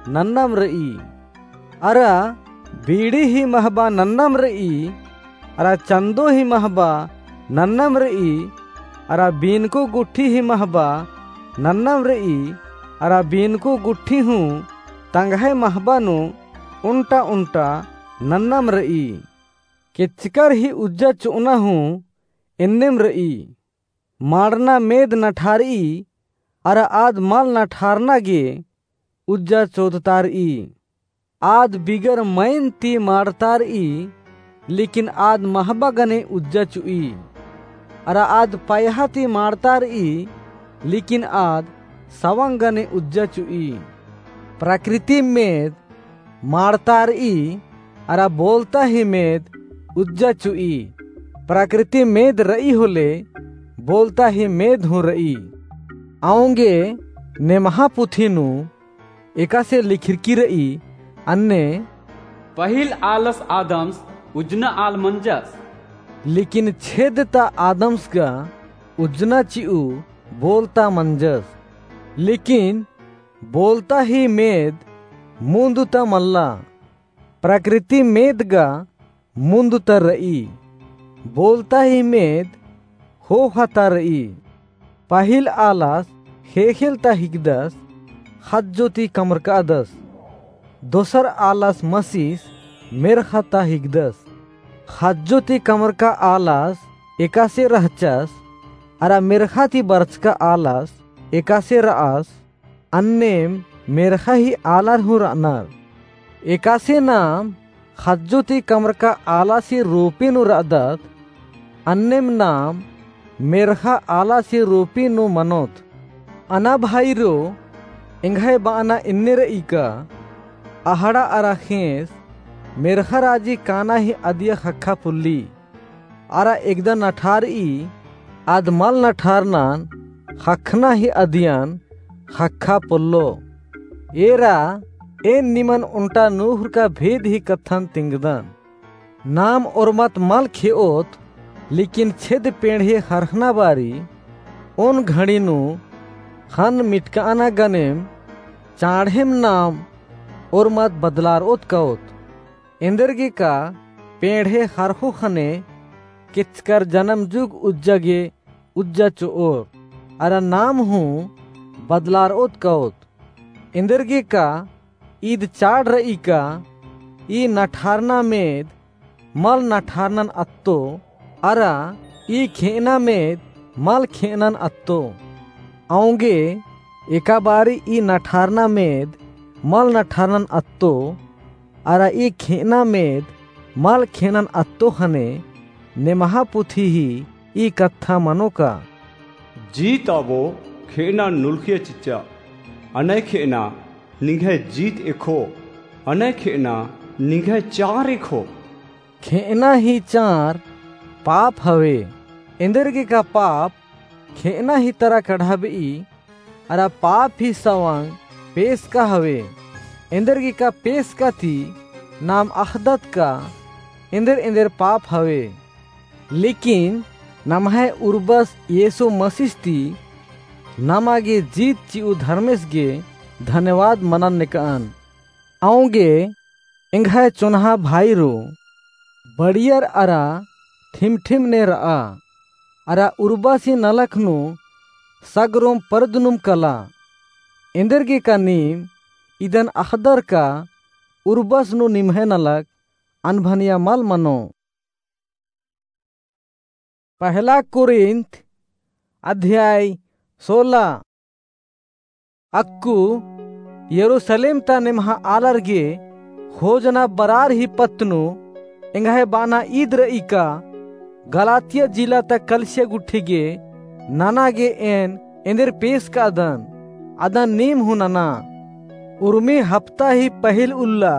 नन्नम र'ई। अरा बीड़ी ही महबा नन्नम र'ई, अरा चन्दो ही महबा नन्नम र'ई, अरा बीनको गुठी ही महबा नन्नम र'ई, अरा बीनको गुठी हूँ तंग्है महबा नू ओन्टा ओन्टा नन्नम र'ई। केचकर ही उज्जा चो'अना हूँ एन्नेम र'ई। माड़ना मेद नठार'ई, अरा आद मल नठारना गे उज्जा चोदतार'ई। आद बिगर मइन ती माड़तार'ई, लेकिन आद महबा गने उज्जा चु'ई। अरा आद पयहा ती माड़तार'ई, लेकिन आद सवंग गने उज्जा चु'ई। प्रकृति मेद माड़तार'ई, अरा बोलता ही मेद उज्जा चु'ई। प्रकृति मेद र'ई होले, बोलता ही मेद हूँ र'ई। औंगे नेम्हा पुथी नू एकासे लिखरकी र'ई, अन्ने, पहिल आलस आदम्स उज्जना आल मंजस। लेकिन छेद ता आदम्स गा उज्जना चि'ऊ बोलता मंजस। लेकिन बोलता ही मेद मुन्द ता मल्ला। प्रकृति मेद गा मुन्द ता र'ई, बोलता ही मेद ख़ोख़ा ता र'ई। पहिल आलस ख़ेख़ेल ता हिकदस, ख़ज्जो ती कमरकादस। दोसर आलस मसिस मेर्ख़ा ता हिकदस। ख़ज्जो ती कमरका आलस एकासे रहचस, अरा मेर्ख़ा ती बरचका आलस एकासे र'अस। अन्नेम मेर्ख़ा ही आलर हूँ र'अनर। एकासे नाम ख़ज्जो ती कमरका आलासी रूपी नू र'अदत, अन्नेम नाम मेर्ख़ा आलासी रूपी नू मनोत। अना भाईरो, एंग्है ब'अना एन्ने र'ई का, अहड़ा अरा ख़ेंस मेर्ख़ा राजी काना ही अदिया ख़क्खा पुल्ली। अरा एकदा नठार'ई, आद मल नठारनन ख़क्खना ही अदियन ख़क्खा पोल्लो। एरा, एन निमन ओन्टा नूख़ुरका भेद ही कत्थन तिंगदन। नाम ओर्मत मल खे'ओत, लेकिन छेद पेंड़हे ख़रख़ना बारी, ओन घड़ी नू ख़न्न मिटका'अना गनेम, चाँड़हेम नाम ओर्मत बदलार'ओत क'ओत। एन्देरगे का पेंड़हे ख़रख़ो ख़ने केचकर जनम जुग उज्जा गे उज्जा चो'ओर, अरा नाम हूँ बदलार'ओत क'ओत। एन्देरगेका ईद चाड़ र'ई का, ई नठारना मेद मल नठारनन अत्तो, अरा ई खे'अना मेद मल खे'अनन अत्तो। औंगे एका बारी ई नठारना मेद मल नठारनन अत्तो, अरा ई खे'अना मेद मल खे'अनन अत्तो ख़ने, नेम्हा पुथी ही ई कत्था मनो का। जीत अबो खे'अना नुल्खिया चिच्चा, अनय खे'अना निंग्है जीत एखो, अनय खे'अना निंग्है चार एखो। खे'अना ही चार पाप हवे। एन्देरगेका पाप खे'अना ही तरा कढ़ाब'ई, अरा पाप ही सवंग पेसका हवे। एन्देरगेका पेसका ती नाम अख़दत का एन्देर एन्देर पाप हवे। लेकिन नम्है उर्बस येसु मसीस ती नमा गे जीत चि'ऊ धर्मेस गे धन्यवाद मनन नेक'अन। औंगे एंग्है चोन्हा भाईरो, बड़ियर अरा ठिमठिम ने र'आ, अरा उर्बसी नलख नू सगरोम परदनुम कला। एन्देरगेका नीम इदन अख़दर का उर्बस नू निम्है नलख अनभनिया मल मनो। पहला कुरिन्थ अध्याय सोलह। अक्कु यरूसलेम ता नेम्हा आलर गे खोजना बरार ही पत्त नू एंग्है बाना ईद र'ई का गलातिया जिला ता कलिसिया गुट्ठी गे नना गे एन एन्देर पेसकादन, अदन नीम हूँ नना। उर्मी हप्ता ही पहिल उल्ला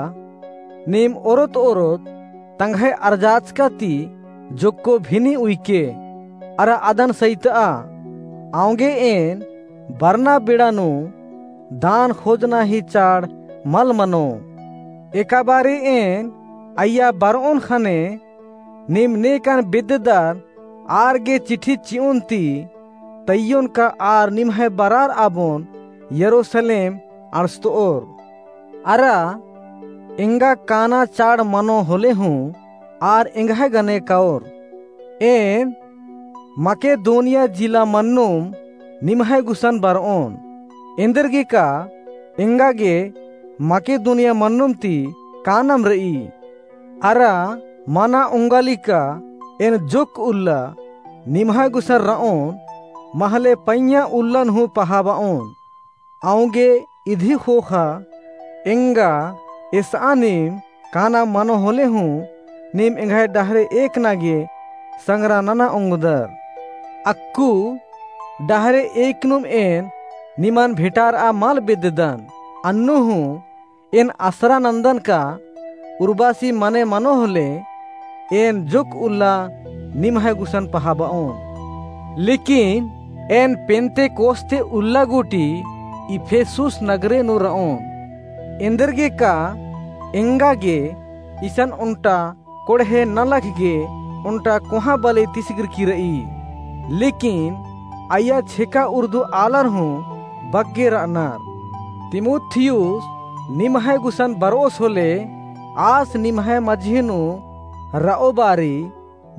नीम ओरोत ओरोत तंग्है अरजाचका ती जोक्को भिनी उइके, अरा अदन सइत'आ। औंगे एन बरना बेड़ा नू दान खोजना ही चाड़ मल मनो। एका बारी एन अइय्या बर'ओन ख़ने नीम नेकन बेद्ददर आर गे चिठी चि'ओन ती तइय्योन का आर निम्है बरार आबोन यरूसलेम अंड़सत'ओर। अरा एंगा काना चाड़ मनो होले हूँ आर एंग्है गने काओर। एन मकेदोनिया जिला मन्नुम निम्है गुसन बर'ओन। एन्देरगेका एंगा गे मकेदोनिया मन्नुम ती कानम र'ई। अरा मना ओंगालिका एन जोक्क उल्ला निम्है गुसन र'ओन, महले पइय्याँ उल्लन हूँ पहाब'ओन। औंगे इदी ख़ोख़ा एंगा एस'आ नीम काना मनो होले हूँ नीम एंग्है डहरे एकना गे संग्रा नना ओंगदर। अक्कु डहरे एकनुम एन निमन भेंटार'आ मल बेद्ददन। अन्नु हूँ एन असरा नन्दन का उर्बासी मने मनो होले एन जोक्क उल्ला निम्है गुसन पहाब'ओन। लेकिन एन पेन्तेकोस्ते उल्ला गूटी इफिसुस नगरे नू र'ओन। एन्देरगेका एंगा गे इसन ओन्टा कोड़हे नलख गे ओन्टा कोहाँ बले तिसगिरकी र'ई। लेकिन अइय्या छेका उर्दू आलर हूँ बग्गे र'अनर। तीमुथियुस निम्है गुसन बर'ओस होले आस निम्है मझी नू र'ओ बारी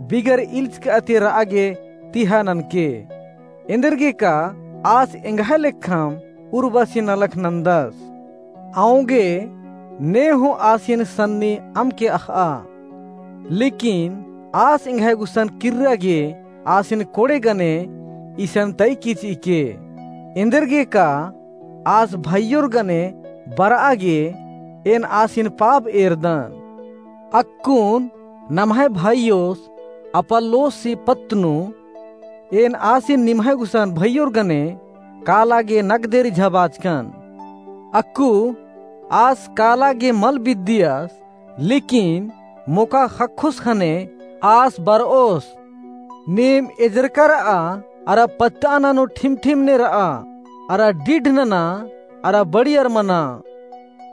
बिगर इल्चक'आ ती र'आ गे तिहा ननके। एन्देरगेका आस एंग्है लेखम उर्बासी नलख नन्दस। औंगे ने हूँ आसिन सन्नी अमके अख़'आ। लेकिन आस एंग्है गुसन किर्रा गे आसिन कोड़े गने इसन तइकी चि'इके। एन्देरगेका आस भइयोर गने बर'आ गे एन आसिन पाप एरदन। अक्कुन नम्है भइयोस अपुल्लोसी पत्त नू एन आसिन निम्है गुसन भइयोर गने काला गे नगदे रिझाबाचकन। अक्कु आस काला गे मल बिद्दियस, लेकिन मोका ख़क्खोस ख़ने आस बर'ओस। नीम एजरका र'आ अरा पत्त'अना नू ठिमठिम ने र'आ अरा डिढ नना अरा बड़ियर मना।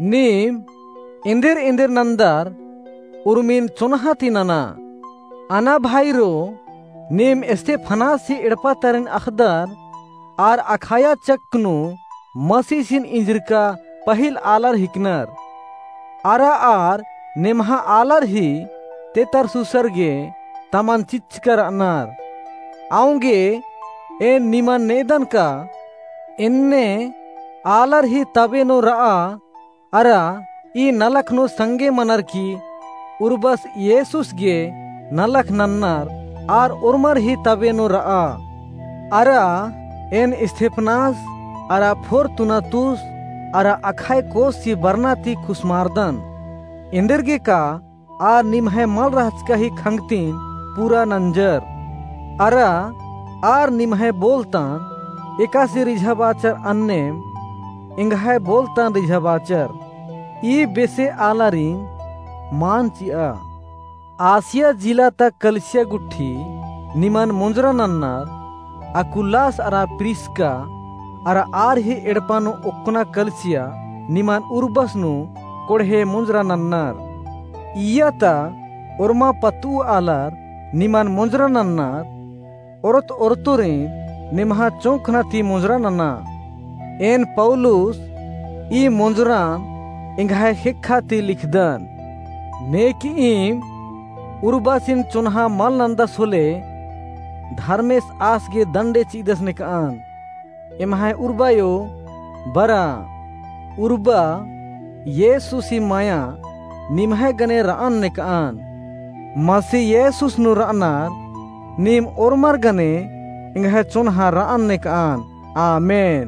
नीम एन्देर एन्देर नन्दर उर्मिन चोन्हा ती नना। अना भाईरो, नीम स्तेफनासी एड़पा तरिन अख़दर आर अखाया चक्क नू मसीसिन इंजरका पहिल आलर हिकनर। अरा आर नेम्हा आलर ही ते तरसुसर गे तमन चिच्चका र'अनर। औंगे एन निमन नेदन का एन्ने आलर ही तबे नू रआ, अरा ई नलख नू संगे मनर की उर्बस येसुस गे नलख नन्नर, आर ओर्मर ही तबे नू रआ। अरा एन स्तेफनास, अरा फोर्तुनातुस, अरा अखाइकोस ही बरना ती खुसमारदन। एन्देरगे का आर निम्है मल रहचका ही खंगतिन पूरा नंजर। अरा आर निम्है बोलतन एकासे रिझाबाचर अन्नेम एंग्है बोलतन रिझाबाचर। ई बेसे आलारिन मान चिआ। आसिया जिला ता कलिसिया गुट्ठी निमन मोंजरा नन्नर, अकुलास अरा प्रिस्का अरा आर ही एड़पा नू ओक्कना कलिसिया निमन उर्बस नू कोड़हे मोंजरा नन्नर। इय्या ता ओर्मा पत्तू आलर निमन मोंजरा नन्नर, ओरत ओरतुरिन निम्हा चोंखना ती मोंजरा नना। एन पौलुस ई मोंजरान एंग्है ख़ेक्खा ती लिखदन। नेकईम उर्बासिन चोन्हा मल नन्दस होले धर्मेस आस गे दंडे चिदस नेकअन। एम्है उर्बायो बरा, उर्बा येसुस ही माया निम्है गने रअन नेकअन। मसी येसुस नू रअनर नीम ओर्मर गने एंग्है चोन्हा रअन नेकअन। आमेन।